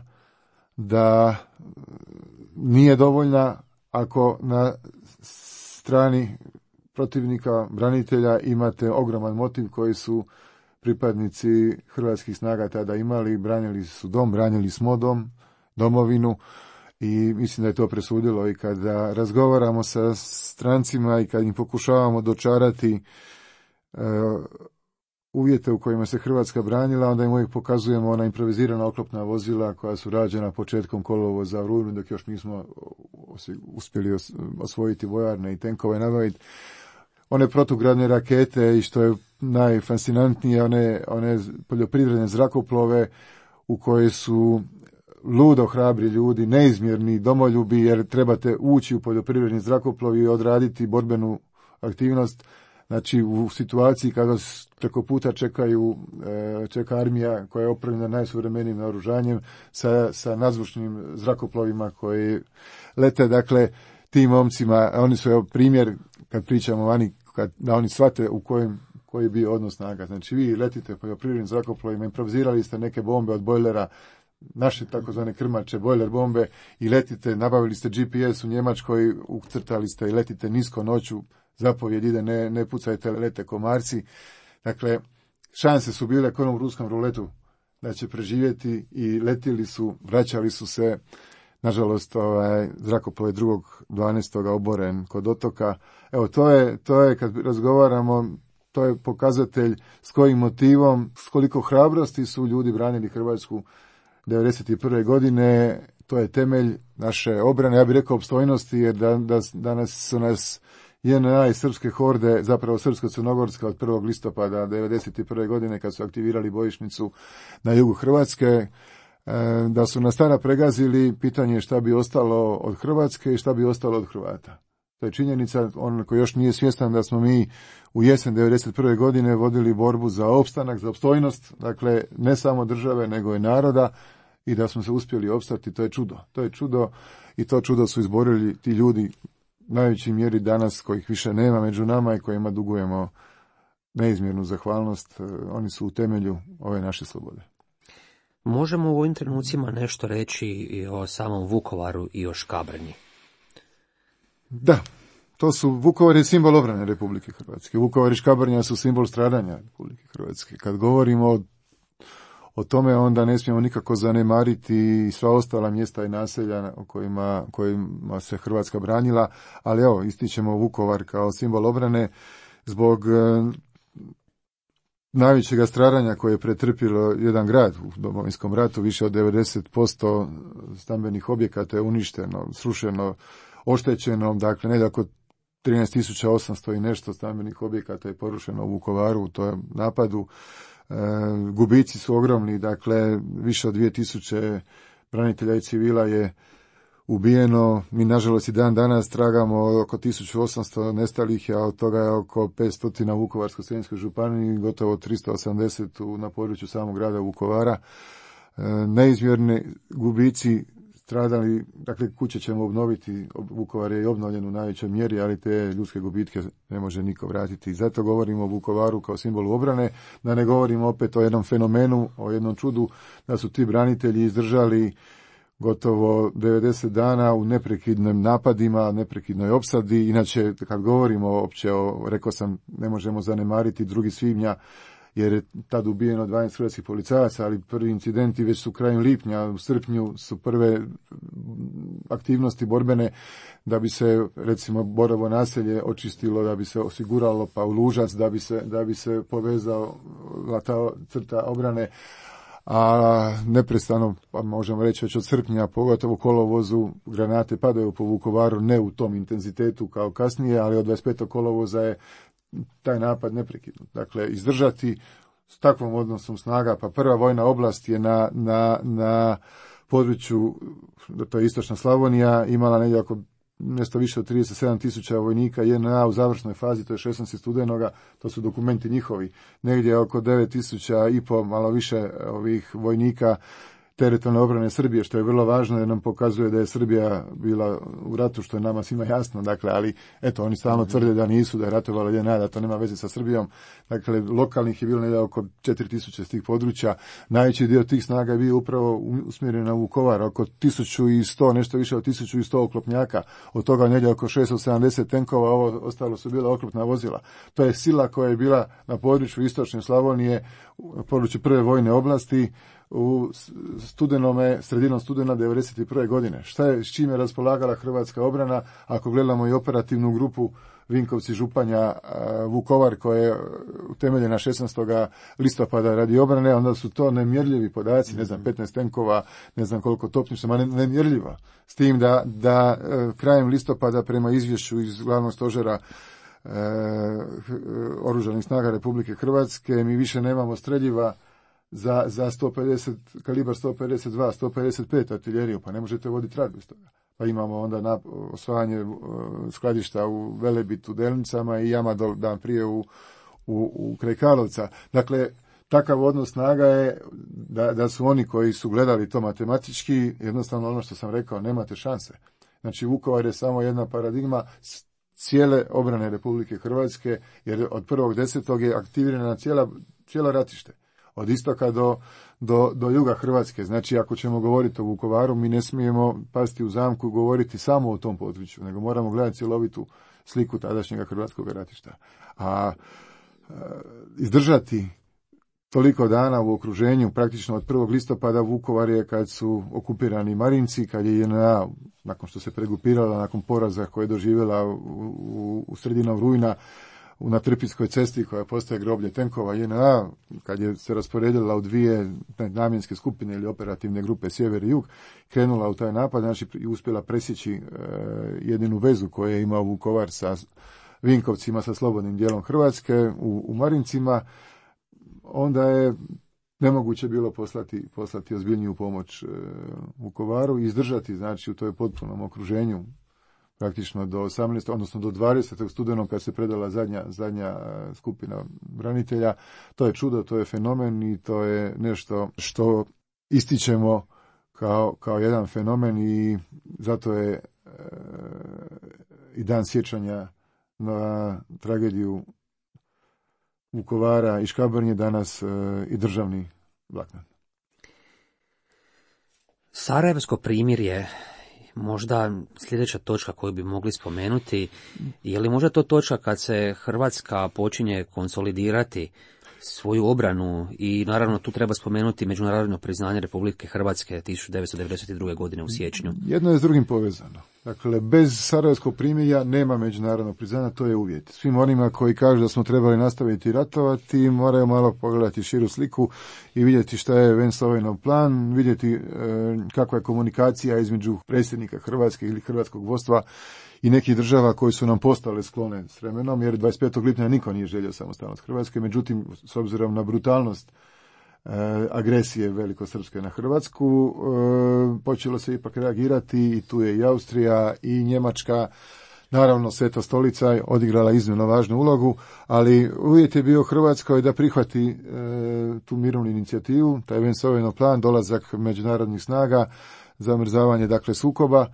da nije dovoljna ako na strani protivnika, branitelja imate ogroman motiv koji su pripadnici hrvatskih snaga tada imali, branili su dom, branili smo dom, domovinu i mislim da je to presudilo i kada razgovaramo sa strancima i kad im pokušavamo dočarati uh, uvjete u kojima se Hrvatska branila, onda im uvijek pokazujemo ona improvizirana oklopna vozila koja su rađena početkom kolovoza u rujnu, dok još nismo uspjeli osvojiti vojarne i tenkove nabaviti. One protugradne rakete i što je najfascinantnije, one, one poljoprivredne zrakoplove u koje su ludo hrabri ljudi, neizmjerni domoljubi, jer trebate ući u poljoprivredni zrakoplov i odraditi borbenu aktivnost. Znači u situaciji kada preko puta čekaju, čeka armija koja je opremljena najsuvremenijim naoružanjem sa, sa nadzvučnim zrakoplovima koji lete, dakle tim momcima, oni su evo primjer kad pričamo vani, kad, da oni shvate u kojem koji je bio odnos snaga. Znači vi letite poljoprivrednim zrakoplovima, improvizirali ste neke bombe od bojlera, naše takozvane krmače, bojler bombe i letite, nabavili ste G P S u Njemačkoj, ucrtali ste i letite nisko noću, zapovjed ide, ne, ne pucajte, lete komarci. Dakle, šanse su bile kao u ruskom ruletu da će preživjeti i letili su, vraćali su se. Nažalost, ovaj, zrakoplov je drugog dvanaestog oboren kod otoka. Evo, to je, to je kad razgovaramo, to je pokazatelj s kojim motivom, s koliko hrabrosti su ljudi branili Hrvatsku devedeset prve godine. To je temelj naše obrane, ja bih rekao opstojnosti, jer da, da, danas su nas J N A i srpske horde, zapravo srpsko-crnogorska od prvog listopada devedeset prve godine kad su aktivirali bojišnicu na jugu Hrvatske, da su nas tada pregazili, pitanje je šta bi ostalo od Hrvatske i šta bi ostalo od Hrvata. To je činjenica, on koji još nije svjestan da smo mi u jesen devedeset prve godine vodili borbu za opstanak, za opstojnost, dakle ne samo države nego i naroda, i da smo se uspjeli opstati, to je čudo. To je čudo i to čudo su izborili ti ljudi u najvećoj mjeri danas kojih više nema među nama i kojima dugujemo neizmjernu zahvalnost. Oni su u temelju ove naše slobode. Možemo u ovim trenucima nešto reći i o samom Vukovaru i o Škabrnji? Da, to su, Vukovar je simbol obrane Republike Hrvatske. Vukovar i Škabrnja su simbol stradanja Republike Hrvatske. Kad govorimo o, o tome, onda ne smijemo nikako zanemariti sva ostala mjesta i naselja o kojima, kojima se Hrvatska branila, ali evo, ističemo Vukovar kao simbol obrane zbog najvećega stradanja koje je pretrpilo jedan grad u Domovinskom ratu. Više od devedeset posto stambenih objekata je uništeno, srušeno, oštećeno, dakle negdje oko trinaest tisuća osamsto i nešto stambenih objekata je porušeno u Vukovaru u tom napadu. E, gubici su ogromni, dakle više od dvije tisuće branitelja i civila je ubijeno. Mi nažalost i dan danas tragamo oko tisuću osamsto nestalih, a od toga je oko petsto u Vukovarsko-srijemskoj županiji, gotovo tristo osamdeset na području samog grada Vukovara. E, neizmjerni gubici stradali, dakle kuće ćemo obnoviti, Vukovar je i obnovljen u najvećoj mjeri, ali te ljudske gubitke ne može niko vratiti. Zato govorimo o Vukovaru kao simbolu obrane, da ne govorimo opet o jednom fenomenu, o jednom čudu, da su ti branitelji izdržali gotovo devedeset dana u neprekidnim napadima, neprekidnoj opsadi. Inače, kad govorimo opće o, rekao sam, ne možemo zanemariti drugi svibnja, jer je tad ubijeno dvanaest hrvatskih policajaca, ali prvi incidenti već su krajem lipnja, u srpnju su prve aktivnosti borbene da bi se, recimo, Borovo naselje očistilo, da bi se osiguralo, pa u Lužac, da bi se, da bi se povezala ta crta obrane, a neprestano, pa možemo reći već od srpnja, pogotovo u kolovozu, granate padaju po Vukovaru, ne u tom intenzitetu kao kasnije, ali od dvadeset petog kolovoza je taj napad neprekidno. Dakle, izdržati s takvom odnosom snaga, pa prva vojna oblast je na, na, na području, to je istočna Slavonija, imala negdje oko nešto više od trideset sedam tisuća vojnika, J N A u završnoj fazi, to je šesnaestog studenoga, to su dokumenti njihovi, negdje oko devet tisuća i po, malo više ovih vojnika teritorijalne obrane Srbije, što je vrlo važno jer nam pokazuje da je Srbija bila u ratu, što je nama svima jasno, dakle, ali eto, oni stalno tvrde da nisu, da je ratovala J N A, da to nema veze sa Srbijom. Dakle, lokalnih je bilo negdje oko četiri tisuće s tih područja. Najveći dio tih snaga je bio upravo usmjeren na Vukovar, oko tisuću sto, nešto više od tisuću sto oklopnjaka, od toga negdje oko šesto sedamdeset tenkova, ovo ostalo su bila oklopna vozila. To je sila koja je bila na području istočne Slavonije, na području prve vojne oblasti, u studenome, sredinom studena devedeset prve godine. Šta je, s čime je raspolagala hrvatska obrana, ako gledamo i operativnu grupu Vinkovci, Županja, Vukovar, koja je utemeljena šesnaestog listopada radi obrane, onda su to nemjerljivi podaci, ne znam, petnaest tenkova, ne znam koliko topništva, ma nemjerljiva. S tim da, da krajem listopada prema izvješću iz glavnog stožera e, Oružanih snaga Republike Hrvatske, mi više nemamo streljiva za, za sto pedeset, kalibar sto pedeset dva, sto pedeset pet artiljeriju, pa ne možete voditi rad bez toga. Pa imamo onda na, osvajanje uh, skladišta u Velebitu, Delnicama i Jama dan prije u, u, u kraj Karlovca. Dakle, takav odnos snaga je da, da su oni koji su gledali to matematički, jednostavno ono što sam rekao, nemate šanse. Znači, Vukovar je samo jedna paradigma cijele obrane Republike Hrvatske, jer od prvog desetog je aktivirana cijela, cijela ratište. Od istoka do, do, do juga Hrvatske. Znači, ako ćemo govoriti o Vukovaru, mi ne smijemo pasti u zamku i govoriti samo o tom području, nego moramo gledati cjelovitu sliku tadašnjega hrvatskog ratišta. A, a izdržati toliko dana u okruženju, praktično od prvog listopada, Vukovar je kad su okupirani Marinci, kad je J N A, nakon što se pregupirala, nakon poraza koje je doživjela u, u, u sredinom rujna, na Trpinskoj cesti koja postaje groblje tenkova J N A, kad je se rasporedila u dvije namjenske skupine ili operativne grupe sjever i jug, krenula u taj napad, znači i uspjela presjeći e, jedinu vezu koju je imao Vukovar sa Vinkovcima, sa slobodnim dijelom Hrvatske u, u Marincima, onda je nemoguće bilo poslati, poslati ozbiljniju pomoć e, Vukovaru i izdržati, znači u toj potpunom okruženju, praktično do osamnaestog odnosno do dvadesetog studenog kad se predala zadnja, zadnja skupina branitelja. To je čudo, to je fenomen i to je nešto što ističemo kao, kao jedan fenomen i zato je e, i dan sjećanja na tragediju Vukovara i Škabrnje danas e, i državni blagdan. Sarajevsko primirje, možda sljedeća točka koju bi mogli spomenuti, je li možda to točka kad se Hrvatska počinje konsolidirati svoju obranu i naravno tu treba spomenuti međunarodno priznanje Republike Hrvatske tisuću devetsto devedeset druge godine u siječnju. Jedno je s drugim povezano. Dakle, bez Sarajevskog primirja nema međunarodnog priznanja, to je uvjet. Svim onima koji kažu da smo trebali nastaviti ratovati, moraju malo pogledati širu sliku i vidjeti šta je Vance-Owenov plan, vidjeti e, kakva je komunikacija između predsjednika Hrvatske ili hrvatskog vodstva i nekih država koji su nam postale sklone s vremenom, jer dvadeset petog lipnja niko nije želio samostalnost Hrvatske, međutim, s obzirom na brutalnost e, agresije velikosrpske na Hrvatsku, e, počelo se ipak reagirati i tu je i Austrija i Njemačka, naravno Sveta stolica odigrala iznimno važnu ulogu, ali uvjet je bio Hrvatskoj da prihvati e, tu mirovnu inicijativu, taj Vance-Owenov plan, dolazak međunarodnih snaga, zamrzavanje dakle sukoba.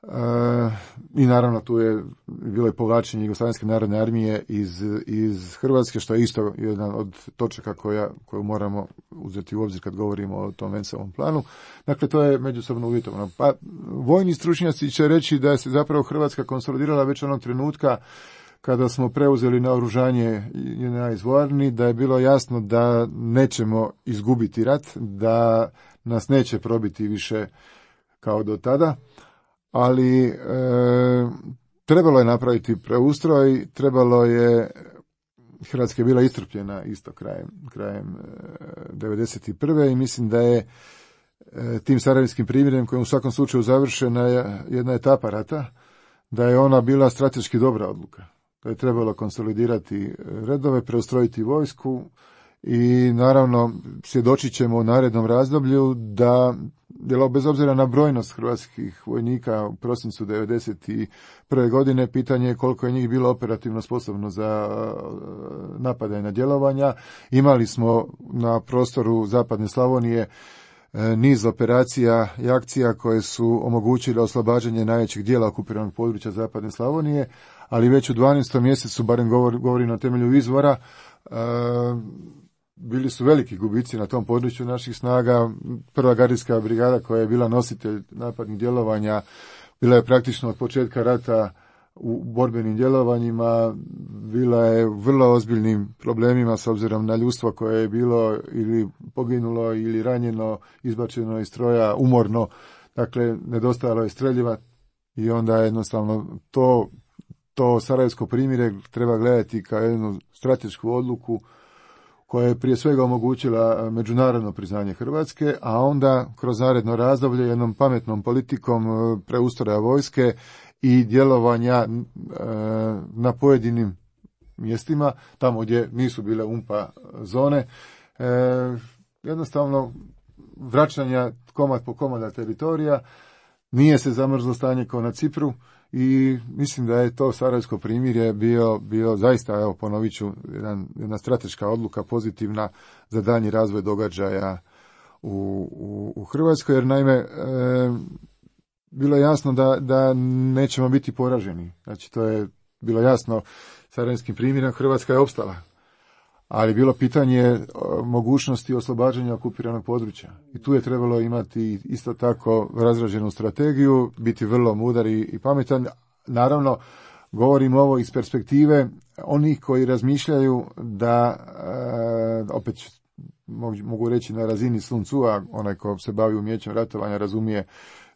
Uh, i naravno tu je bilo i povlačenje Jugoslavenske narodne armije iz, iz Hrvatske, što je isto jedan od točaka koja, koju moramo uzeti u obzir kad govorimo o tom Vance-ovom planu. Dakle, to je međusobno uvjetovano. Pa, vojni stručnjaci će reći da se zapravo Hrvatska konsolidirala već onog trenutka kada smo preuzeli naoružanje J N A iz vojarni, da je bilo jasno da nećemo izgubiti rat, da nas neće probiti više kao do tada. Ali e, trebalo je napraviti preustroj, trebalo je, Hrvatska je bila iscrpljena isto krajem, krajem e, devedeset prve i mislim da je e, tim sarajevskim primjerem kojim u svakom slučaju završena jedna etapa rata, da je ona bila strateški dobra odluka. Da je trebalo konsolidirati redove, preustrojiti vojsku i naravno svjedočit ćemo u narednom razdoblju da djelo bez obzira na brojnost hrvatskih vojnika u prosincu devedeset prve godine, pitanje je koliko je njih bilo operativno sposobno za napadajna djelovanja. Imali smo na prostoru zapadne Slavonije niz operacija i akcija koje su omogućile oslobađanje najvećeg dijela okupiranog područja Zapadne Slavonije, ali već u dvanaestom mjesecu, barem govor, govori na temelju izvora, e, bili su veliki gubici na tom području naših snaga. Prva gardijska brigada koja je bila nositelj napadnih djelovanja bila je praktično od početka rata u borbenim djelovanjima, bila je u vrlo ozbiljnim problemima s obzirom na ljudstvo koje je bilo ili poginulo ili ranjeno, izbačeno iz stroja, umorno, dakle nedostajalo je streljiva i onda jednostavno to, to Sarajevsko primirje treba gledati kao jednu stratešku odluku koja je prije svega omogućila međunarodno priznanje Hrvatske, a onda kroz naredno razdoblje jednom pametnom politikom preustroja vojske i djelovanja na pojedinim mjestima, tamo gdje nisu bile umpa zone, jednostavno vraćanja komad po komada teritorija, nije se zamrzlo stanje kao na Cipru i mislim da je to Sarajevsko primirje bio, bio zaista, evo ponovit ću, jedan, jedna strateška odluka pozitivna za daljnji razvoj događaja u, u, u Hrvatskoj, jer naime e, bilo je jasno da, da nećemo biti poraženi. Znači to je bilo jasno Sarajevskim primirjem, Hrvatska je opstala. Ali bilo pitanje mogućnosti oslobađanja okupiranog područja. I tu je trebalo imati isto tako razrađenu strategiju, biti vrlo mudar i, i pametan. Naravno, govorim ovo iz perspektive onih koji razmišljaju da, e, opet mogu reći na razini Sun Tzu-a, onaj ko se bavi umjećem ratovanja razumije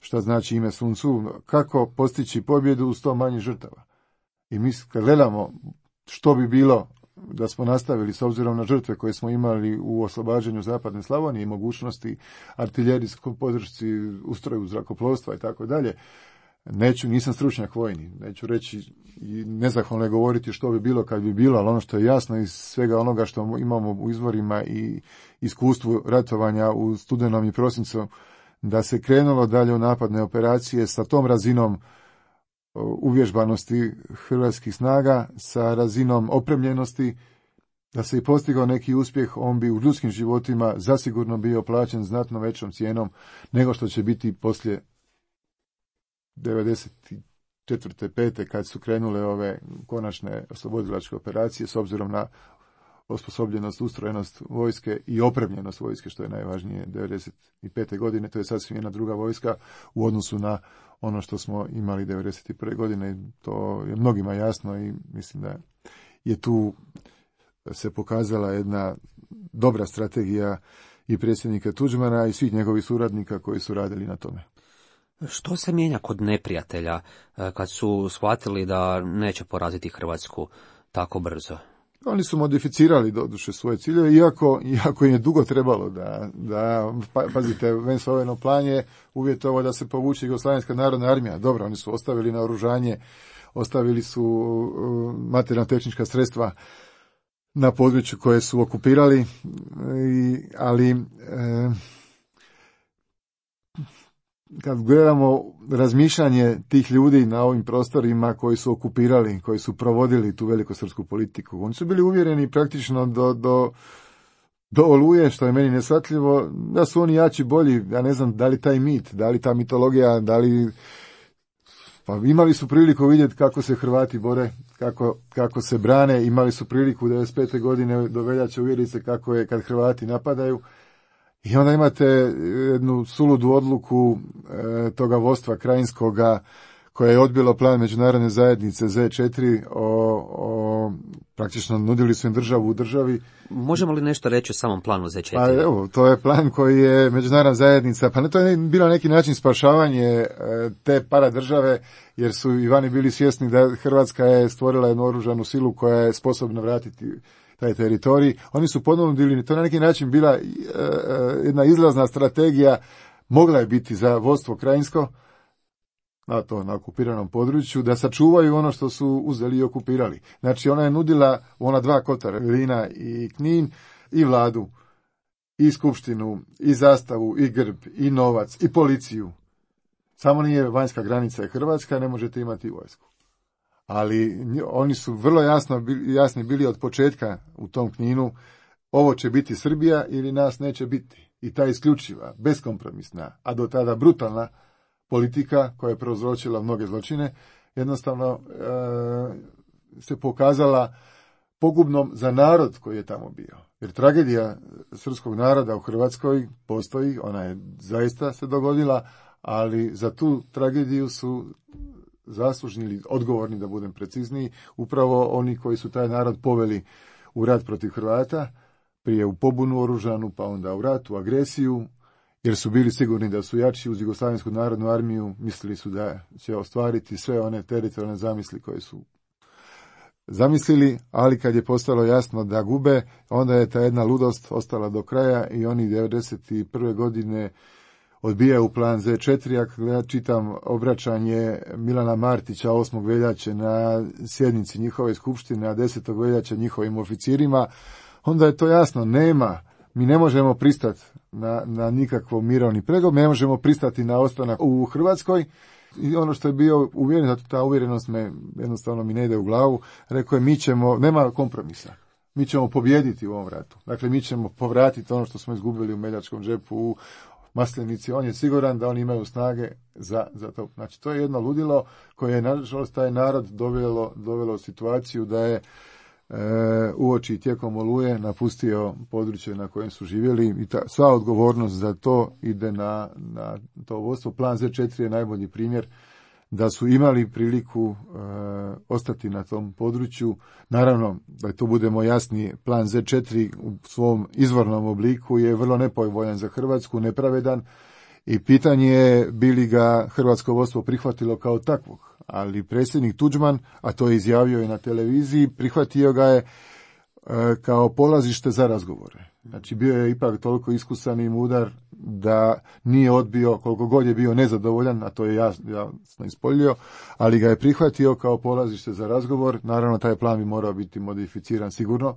šta znači ime Sun Tzu, kako postići pobjedu uz sto manje žrtava. I mi kad gledamo što bi bilo da smo nastavili s obzirom na žrtve koje smo imali u oslobađanju Zapadne Slavonije i mogućnosti artiljerijskoj podršci, ustroju zrakoplovstva i tako dalje, neću, nisam stručnjak vojni, neću reći i nezahvalno je govoriti što bi bilo kad bi bilo, ali ono što je jasno iz svega onoga što imamo u izvorima i iskustvu ratovanja u studenom i prosincu, da se krenulo dalje u napadne operacije sa tom razinom uvježbanosti hrvatskih snaga, sa razinom opremljenosti, da se i postigao neki uspjeh, on bi u ljudskim životima zasigurno bio plaćen znatno većom cijenom nego što će biti poslije devedeset četvrte pete kad su krenule ove konačne oslobodilačke operacije s obzirom na osposobljenost, ustrojenost vojske i opremljenost vojske, što je najvažnije devedeset pete godine. To je sasvim jedna druga vojska u odnosu na ono što smo imali devedeset prve godine. To je mnogima jasno i mislim da je tu se pokazala jedna dobra strategija i predsjednika Tuđmana i svih njegovih suradnika koji su radili na tome. Što se mijenja kod neprijatelja kad su shvatili da neće poraziti Hrvatsku tako brzo? Oni su modificirali doduše svoje ciljeve, iako, iako im je dugo trebalo da, da pa, pazite, Vance-Owenov plan je uvjetovo da se povuče Jugoslavenska narodna armija. Dobro, oni su ostavili naoružanje, ostavili su uh, materijalno-tehnička sredstva na području koje su okupirali, i, ali e, kad gledamo razmišljanje tih ljudi na ovim prostorima koji su okupirali, koji su provodili tu velikosrpsku politiku, oni su bili uvjereni praktično do, do, do Oluje, što je meni neshvatljivo, da su oni jači, bolji. Ja ne znam da li taj mit, da li ta mitologija, da li... Pa imali su priliku vidjeti kako se Hrvati bore, kako, kako se brane, imali su priliku devedeset pete godine do veljače uvjeriti se kako je kad Hrvati napadaju. I onda imate jednu suludu odluku e, toga vodstva krajinskoga koje je odbilo plan međunarodne zajednice Z četiri, o, o, praktično nudili su im državu u državi. Možemo li nešto reći o samom planu Z četiri? Pa evo, to je plan koji je međunarodna zajednica, pa ne, to je bilo neki način spašavanje e, te paradržave, jer su i vani bili svjesni da Hrvatska je stvorila jednu oružanu silu koja je sposobna vratiti taj teritorij. Oni su ponudili, to je na neki način bila e, jedna izlazna strategija, mogla je biti za vodstvo krajinsko, na to, na okupiranom području, da sačuvaju ono što su uzeli i okupirali. Znači, ona je nudila u ona dva kotara, Glina i Knin, i vladu, i skupštinu, i zastavu, i grb, i novac, i policiju. Samo nije vanjska granica je Hrvatska, ne možete imati vojsku. Ali oni su vrlo jasno, jasni bili od početka u tom Kninu, ovo će biti Srbija ili nas neće biti. i ta isključiva, beskompromisna, a do tada brutalna politika koja je prouzročila mnoge zločine, jednostavno e, se pokazala pogubnom za narod koji je tamo bio. Jer tragedija srpskog naroda u Hrvatskoj postoji, ona je zaista se dogodila, ali za tu tragediju su zaslužni ili odgovorni, da budem precizniji, upravo oni koji su taj narod poveli u rat protiv Hrvata, prije u pobunu oružanu, pa onda u rat, u agresiju, jer su bili sigurni da su jači uz Jugoslavensku narodnu armiju, mislili su da će ostvariti sve one teritorijalne zamisli koje su zamislili, ali kad je postalo jasno da gube, onda je ta jedna ludost ostala do kraja i oni devedeset prve godine odbijaju plan zet četiri. Ako ja čitam obraćanje Milana Martića osmog veljače na sjednici njihove skupštine, a desetog veljače njihovim oficirima, onda je to jasno, nema, mi ne možemo pristati na, na nikakvo mirovni pregovor, ne možemo pristati na ostanak u Hrvatskoj. I ono što je bio uvjeren, zato ta uvjerenost me jednostavno mi ne ide u glavu, rekao je mi ćemo, nema kompromisa, mi ćemo pobijediti u ovom ratu. Dakle, mi ćemo povratiti ono što smo izgubili u Meljačkom džepu, u Maslenici. On je siguran da oni imaju snage za, za to. Znači, to je jedno ludilo koje je, nažalost, taj narod dovelo, dovelo u situaciju da je e, uoči tijekom Oluje napustio područje na kojem su živjeli i ta, sva odgovornost za to ide na, na to vodstvo. Plan zet četiri je najbolji primjer da su imali priliku e, ostati na tom području. Naravno, da to budemo jasni, plan zet četiri u svom izvornom obliku je vrlo nepovoljan za Hrvatsku, nepravedan i pitanje je bi li ga hrvatsko vodstvo prihvatilo kao takvog. Ali predsjednik Tuđman, a to je izjavio i na televiziji, prihvatio ga je e, kao polazište za razgovore. Znači bio je ipak toliko iskusan i mudar da nije odbio, koliko god je bio nezadovoljan, a to je jasno, jasno ispoljio, ali ga je prihvatio kao polazište za razgovor. Naravno, taj plan bi morao biti modificiran sigurno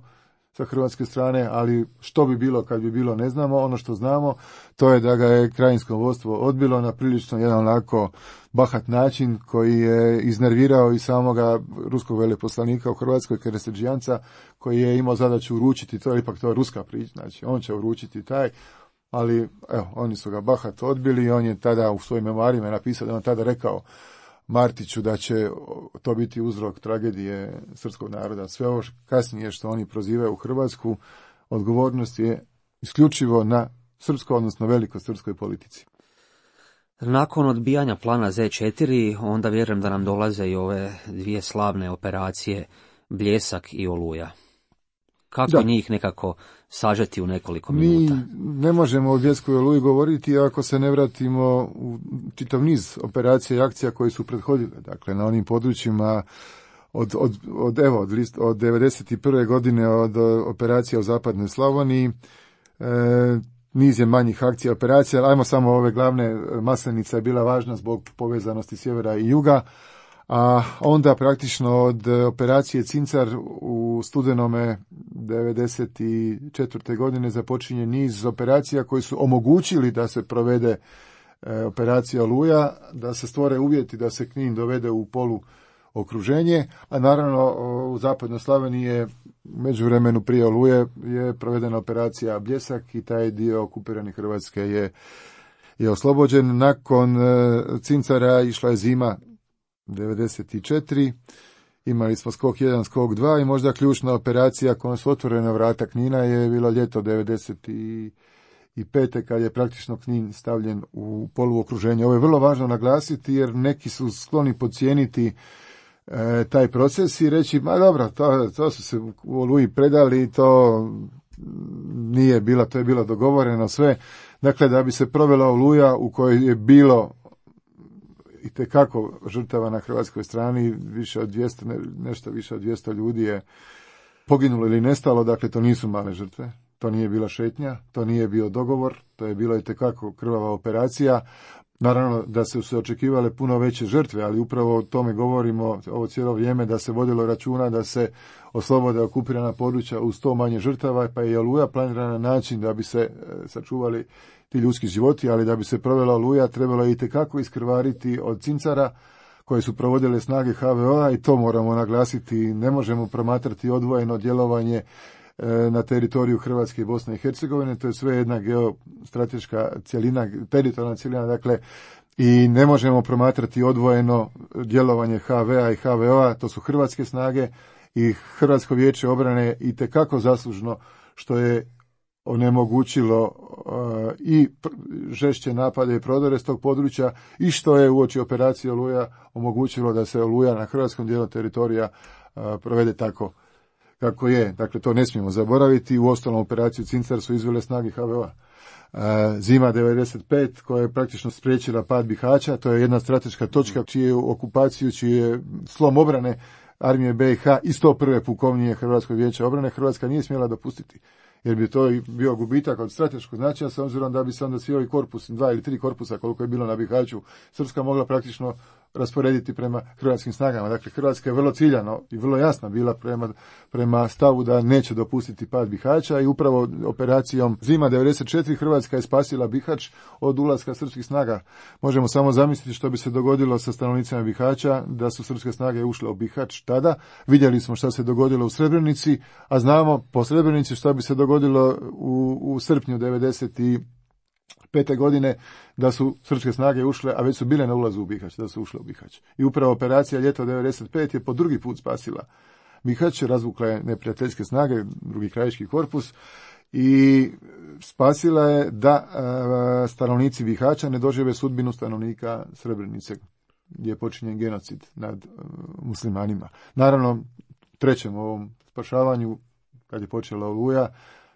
sa hrvatske strane, ali što bi bilo kad bi bilo ne znamo. Ono što znamo, to je da ga je krajinsko vodstvo odbilo na prilično jedan onako bahat način koji je iznervirao i samoga ruskog veleposlanika u Hrvatskoj, Keresedžijanca, koji je imao zadaću uručiti, to je ipak to je ruska priča, znači on će uručiti taj, ali evo, oni su ga bahat odbili i on je tada u svojim memoarima napisao da on tada rekao Martiću da će to biti uzrok tragedije srpskog naroda. Sve ovo kasnije što oni prozivaju u Hrvatsku, odgovornost je isključivo na srpskoj, odnosno velikosrpskoj politici. Nakon odbijanja plana zet četiri, onda vjerujem da nam dolaze i ove dvije slavne operacije Bljesak i Oluja. Kako da. Njih nekako sažeti u nekoliko minuta? Mi ne možemo o Bljesku i Oluji govoriti ako se ne vratimo u čitav niz operacija i akcija koje su prethodile. Dakle, na onim područjima od, od, od, evo, od, list, od devedeset prve godine od operacija u zapadnoj Slavoniji, e, niz je manjih akcija operacija, ali ajmo samo ove glavne. Maslenica je bila važna zbog povezanosti sjevera i juga, a onda praktično od operacije Cincar u studenome devedeset četvrte godine započinje niz operacija koji su omogućili da se provede e, operacija Oluja, da se stvore uvjeti da se Knin dovede u polu okruženje, a naravno u zapadnoj Slavoniji je međuvremenu prije Oluje je provedena operacija Bljesak i taj dio okupirane Hrvatske je, je oslobođen. Nakon e, Cincara išla je zima devedeset četiri, imali smo skok jedan, skok dva i možda ključna operacija kojom su otvorena vrata Knina je bilo ljeto devedeset pete kad je praktično Knin stavljen u poluokruženje. Ovo je vrlo važno naglasiti jer neki su skloni podcijeniti e, taj proces i reći, ma dobro, to, to su se u Oluji predali, to nije bilo, to je bilo dogovoreno sve. Dakle, da bi se provela Oluja u kojoj je bilo i tekako žrtava na hrvatskoj strani, više od dvjesto, ne, nešto više od dvjesto ljudi je poginulo ili nestalo, dakle to nisu male žrtve, to nije bila šetnja, to nije bio dogovor, to je bilo i tekako krvava operacija. Naravno da su se očekivale puno veće žrtve, ali upravo o tome govorimo ovo cijelo vrijeme, da se vodilo računa da se oslobode okupirana područja uz to manje žrtava, pa je Oluja planirana na način da bi se e, sačuvali ti ljudski životi, ali da bi se provela Oluja trebalo je itekako iskrvariti od Cincara koje su provodile snage ha ve o-a i to moramo naglasiti. Ne možemo promatrati odvojeno djelovanje na teritoriju Hrvatske i Bosne i Hercegovine. To je sve jedna geostrateška cjelina, teritorijalna cjelina, dakle, i ne možemo promatrati odvojeno djelovanje H V-a i H V O-a, to su hrvatske snage i Hrvatsko vijeće obrane je itekako zaslužno što je onemogućilo uh, i žešće napade i prodore s tog područja i što je uoči operacije Oluja omogućilo da se Oluja na hrvatskom dijelu teritorija uh, provede tako kako je. Dakle, to ne smijemo zaboraviti. U ostalom operaciju Cincar su izvele snage H V O-a. Uh, zima devedeset pet koja je praktično spriječila pad Bihaća, to je jedna strateška točka čiju okupaciju, čiji je slom obrane armije B i H i sto prve pukovnije Hrvatskog vijeća obrane Hrvatska nije smjela dopustiti, jer bi to bio gubitak od strateškog značaja, s obzirom da bi se onda svi ovi korpus, dva ili tri korpusa koliko je bilo na Bihaću, Srpska mogla praktično rasporediti prema hrvatskim snagama. Dakle, Hrvatska je vrlo ciljano i vrlo jasna bila prema, prema stavu da neće dopustiti pad Bihaća i upravo operacijom Zima devedeset četiri Hrvatska je spasila Bihać od ulaska srpskih snaga. Možemo samo zamisliti što bi se dogodilo sa stanovnicima Bihaća da su srpske snage ušle u Bihać tada. Vidjeli smo šta se dogodilo u Srebrenici, a znamo po Srebrenici šta bi se dogodilo u, u srpnju devedeset pete godine da su srpske snage ušle, a već su bile na ulazu u Bihać, da su ušle u Bihać. I upravo operacija Ljeto devedeset pet je po drugi put spasila Bihać, razvukla je neprijateljske snage, drugi krajiški korpus i spasila je da a, stanovnici Bihaća ne dožive sudbinu stanovnika Srebrenice, gdje je počinjen genocid nad a, muslimanima. Naravno, trećem ovom spašavanju, kad je počela Oluja,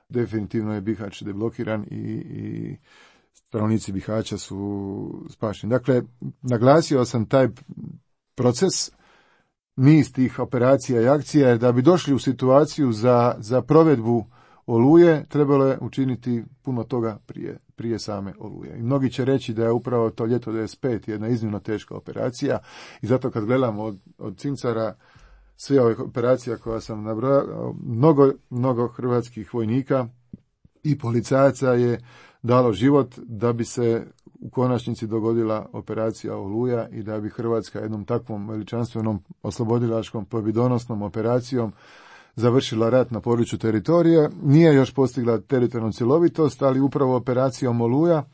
definitivno je Bihać deblokiran i, i stanovnici Bihaća su spašeni. Dakle, naglasio sam taj proces, niz tih operacija i akcija, jer da bi došli u situaciju za, za provedbu Oluje, trebalo je učiniti puno toga prije, prije same Oluje. I mnogi će reći da je upravo to Ljeto devedeset pet jedna iznimno teška operacija i zato kad gledamo od, od Cincara sve ove operacija koja sam nabrojao, mnogo, mnogo hrvatskih vojnika i policajaca je dalo život da bi se u konačnici dogodila operacija Oluja i da bi Hrvatska jednom takvom veličanstvenom oslobodilačkom pobjedonosnom operacijom završila rat na području teritorija. Nije još postigla teritorijalnu cjelovitost, ali upravo operacijom Oluja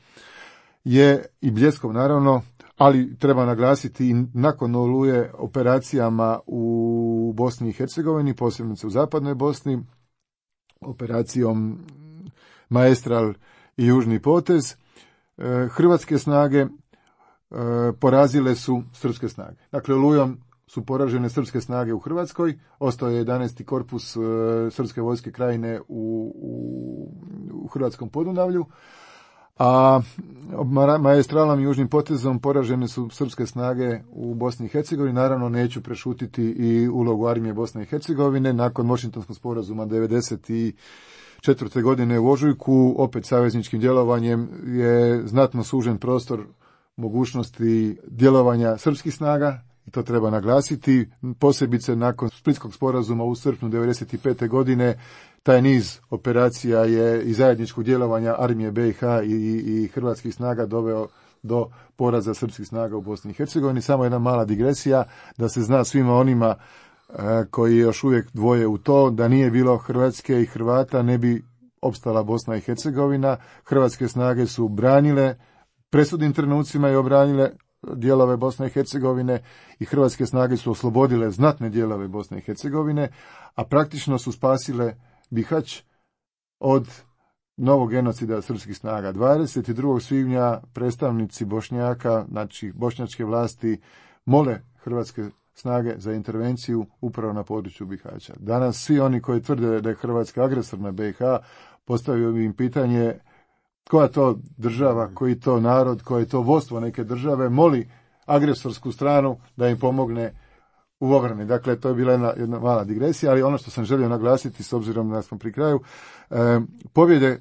je i Bljeskom naravno, ali treba naglasiti i nakon Oluje operacijama u Bosni i Hercegovini, posebno u zapadnoj Bosni, operacijom Maestral i Južni potez, hrvatske snage porazile su srpske snage. Dakle, Olujom su poražene srpske snage u Hrvatskoj, ostao je jedanaesti korpus srpske vojske krajine u, u, u Hrvatskom Podunavlju, a maestralom i Južnim potezom poražene su srpske snage u Bosni i Hercegovini. Naravno, neću prešutiti i ulogu armije Bosne i Hercegovine. Nakon Washingtonskog sporazuma devedeset četvrte godine u ožujku, opet savezničkim djelovanjem je znatno sužen prostor mogućnosti djelovanja srpskih snaga, i to treba naglasiti, posebice nakon Splitskog sporazuma u srpnju devedeset pete godine. Taj niz operacija je i zajedničkog djelovanja armije B i H i, i, i hrvatskih snaga doveo do poraza srpskih snaga u Bosni i Hercegovini. Samo jedna mala digresija, da se zna svima onima a, koji još uvijek dvoje u to, da nije bilo Hrvatske i Hrvata, ne bi opstala Bosna i Hercegovina. Hrvatske snage su branile presudnim trenucima i obranile dijelove Bosne i Hercegovine i hrvatske snage su oslobodile znatne dijelove Bosne i Hercegovine, a praktično su spasile Bihać od novog genocida srpskih snaga. dvadeset drugog svibnja predstavnici Bošnjaka, znači bošnjačke vlasti, mole hrvatske snage za intervenciju upravo na području Bihaća. Danas svi oni koji tvrde da je Hrvatska agresor na B i H, postavio bi im pitanje koja to država, koji to narod, koje to vodstvo neke države moli agresorsku stranu da im pomogne u obrani. Dakle, to je bila jedna, jedna mala digresija, ali ono što sam želio naglasiti, s obzirom da smo pri kraju, e, pobjede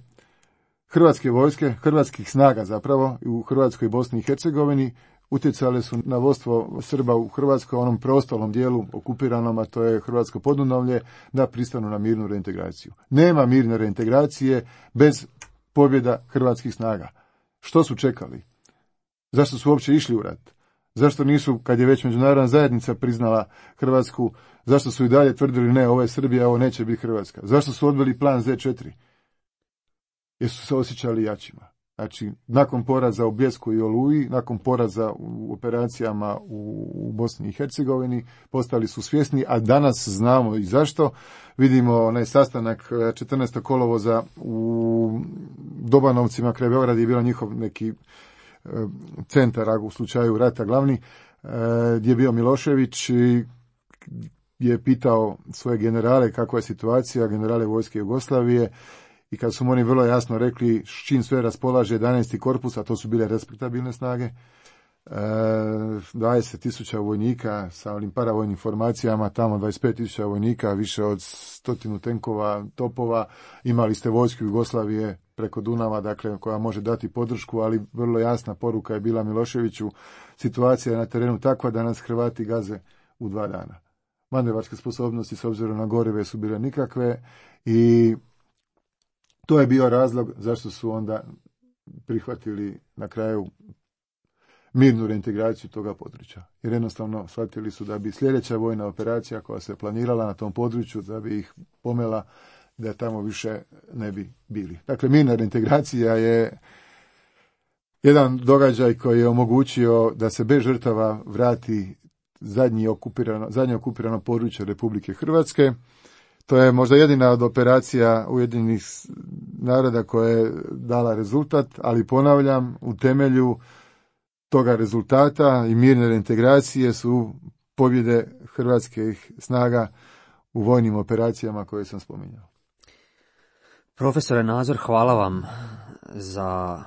hrvatske vojske, hrvatskih snaga zapravo, u Hrvatskoj i Bosni i Hercegovini, utjecale su na vodstvo Srba u Hrvatskoj, onom preostalom dijelu okupiranom, a to je Hrvatsko Podunavlje, da pristanu na mirnu reintegraciju. Nema mirne reintegracije bez pobjeda hrvatskih snaga. Što su čekali? Zašto su uopće išli u rat? Zašto nisu, kad je već međunarodna zajednica priznala Hrvatsku, zašto su i dalje tvrdili ne, ovo je Srbija, ovo neće biti Hrvatska? Zašto su odbili plan zet četiri? Jer su se osjećali jačima. Znači, nakon poraza u Bljesku i Oluji, nakon poraza u operacijama u, u Bosni i Hercegovini, postali su svjesni, a danas znamo i zašto. Vidimo onaj sastanak četrnaestog kolovoza u Dobanovcima kraj Beograda je bio njihov neki e, centar, u slučaju rata glavni, e, gdje je bio Milošević i je pitao svoje generale kakva je situacija, generale vojske Jugoslavije, i kad su mu oni vrlo jasno rekli s čim sve raspolaže jedanaesti korpus, a to su bile respektabilne snage, dvadeset tisuća vojnika sa onim paravojnim formacijama, tamo dvadeset pet tisuća vojnika, više od stotinu tenkova, topova, imali ste vojsku Jugoslavije preko Dunava, dakle, koja može dati podršku, ali vrlo jasna poruka je bila Miloševiću, situacija je na terenu takva da nas Hrvati gaze u dva dana. Manevarske sposobnosti s obzirom na gorive su bile nikakve i to je bio razlog zašto su onda prihvatili na kraju mirnu reintegraciju toga područja. Jer jednostavno shvatili su da bi sljedeća vojna operacija koja se planirala na tom području, da bi ih pomela, da tamo više ne bi bili. Dakle, mirna reintegracija je jedan događaj koji je omogućio da se bez žrtava vrati zadnji okupirano, zadnje okupirano područje Republike Hrvatske. To je možda jedina od operacija Ujedinjenih naroda koja je dala rezultat, ali ponavljam, u temelju toga rezultata i mirne reintegracije su pobjede hrvatskih snaga u vojnim operacijama koje sam spominjao. Profesore Nazor, hvala vam za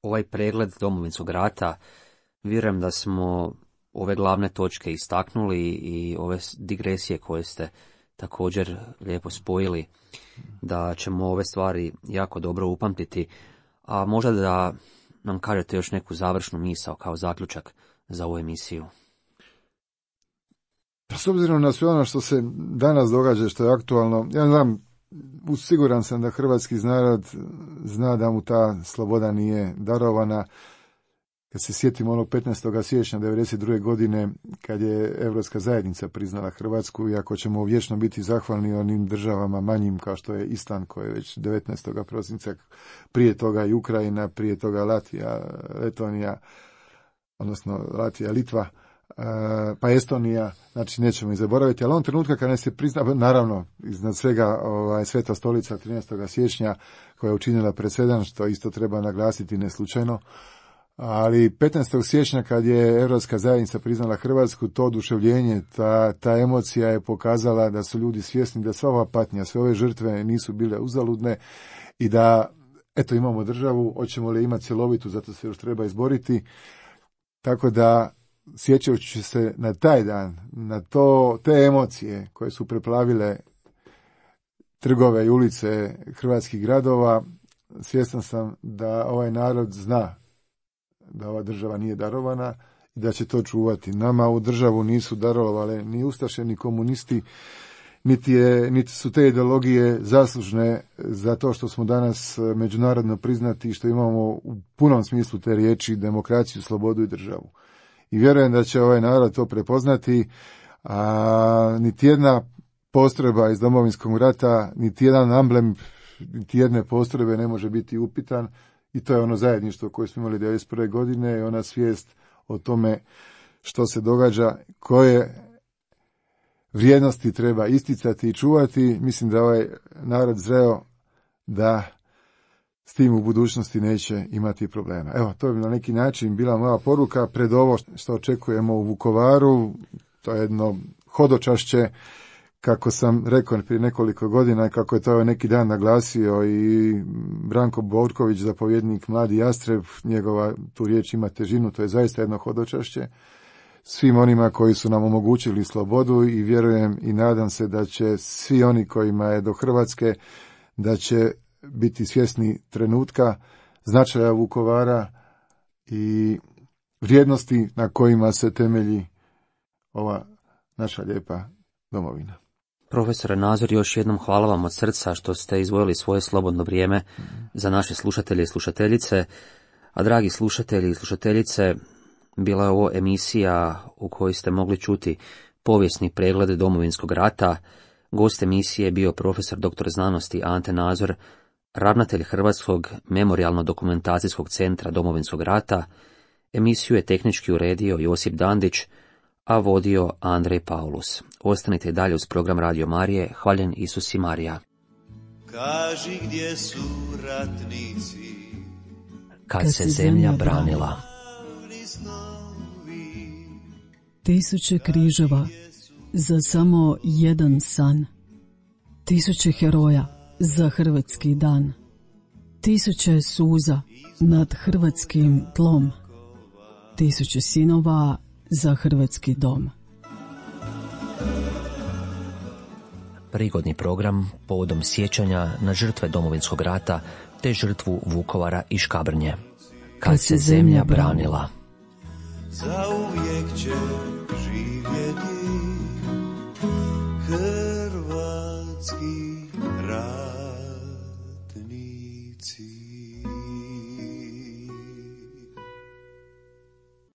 ovaj pregled Domovinskog rata. Vjerujem da smo ove glavne točke istaknuli i ove digresije koje ste također lijepo spojili, da ćemo ove stvari jako dobro upamtiti, a možda da nam kažete još neku završnu misao kao zaključak za ovu emisiju. S obzirom na sve ono što se danas događa, što je aktualno, ja znam, siguran sam da hrvatski narod zna da mu ta sloboda nije darovana. Kad se sjetimo onog petnaestog siječnja devedeset druge godine, kad je Europska zajednica priznala Hrvatsku, i ako ćemo vječno biti zahvalni onim državama manjim kao što je Island, koji je već devetnaestog prosinca, prije toga i Ukrajina, prije toga Latvija, Letonija, odnosno Latvija, Litva, pa Estonija, znači nećemo ih zaboraviti, ali on trenutka kad ne se prizna, naravno, iznad svega ovaj, Sveta stolica trinaestog siječnja, koja je učinila presedan, što isto treba naglasiti ne slučajno, ali petnaestog siječnja kad je Europska zajednica priznala Hrvatsku, to oduševljenje, ta, ta emocija je pokazala da su ljudi svjesni da sva ova patnja, sve ove žrtve nisu bile uzaludne i da, eto, imamo državu, hoćemo li imati cjelovitu, zato se još treba izboriti. Tako da, sjećajući se na taj dan, na to, te emocije koje su preplavile trgove i ulice hrvatskih gradova, svjestan sam da ovaj narod zna da ova država nije darovana i da će to čuvati. Nama u državu nisu darovale ni ustaše, ni komunisti, niti, je, niti su te ideologije zaslužne za to što smo danas međunarodno priznati i što imamo u punom smislu te riječi demokraciju, slobodu i državu. I vjerujem da će ovaj narod to prepoznati, a niti jedna postrojba iz Domovinskog rata, niti jedan amblem, niti jedne postrojbe ne može biti upitan. I to je ono zajedništvo koje smo imali devedeset prve godine i ona svijest o tome što se događa, koje vrijednosti treba isticati i čuvati. Mislim da ovaj narod zreo da s tim u budućnosti neće imati problema. Evo, to bi na neki način bila moja poruka pred ovo što očekujemo u Vukovaru. To je jedno hodočašće, kako sam rekao prije nekoliko godina, kako je to neki dan naglasio i Branko Borković, zapovjednik Mladi Jastreb, njegova tu riječ ima težinu, to je zaista jedno hodočašće svim onima koji su nam omogućili slobodu i vjerujem i nadam se da će svi oni kojima je do Hrvatske, da će biti svjesni trenutka, značaja Vukovara i vrijednosti na kojima se temelji ova naša lijepa domovina. Profesore Nazor, još jednom hvala vam od srca što ste izdvojili svoje slobodno vrijeme za naše slušatelje i slušateljice. A dragi slušatelji i slušateljice, Bila je ovo emisija u kojoj ste mogli čuti povijesni pregled Domovinskog rata. Gost emisije je bio profesor doktor znanosti Ante Nazor, ravnatelj Hrvatskog memorijalno-dokumentacijskog centra Domovinskog rata. Emisiju je tehnički uredio Josip Dandić, a vodio Andrej Paulus. Ostanite dalje uz program Radio Marije. Hvaljen Isus i Marija. Kaži gdje su ratnici, Kad, Kad se zemlja branila. Tisuće križeva za samo jedan san. Tisuće heroja za hrvatski dan. Tisuće suza nad hrvatskim tlom. Tisuće sinova za hrvatski dom. Prigodni program povodom sjećanja na žrtve Domovinskog rata te žrtvu Vukovara i Škabrnje. Kad, Kad se zemlja branila. Zauvijek će živjeti hrvatski rad.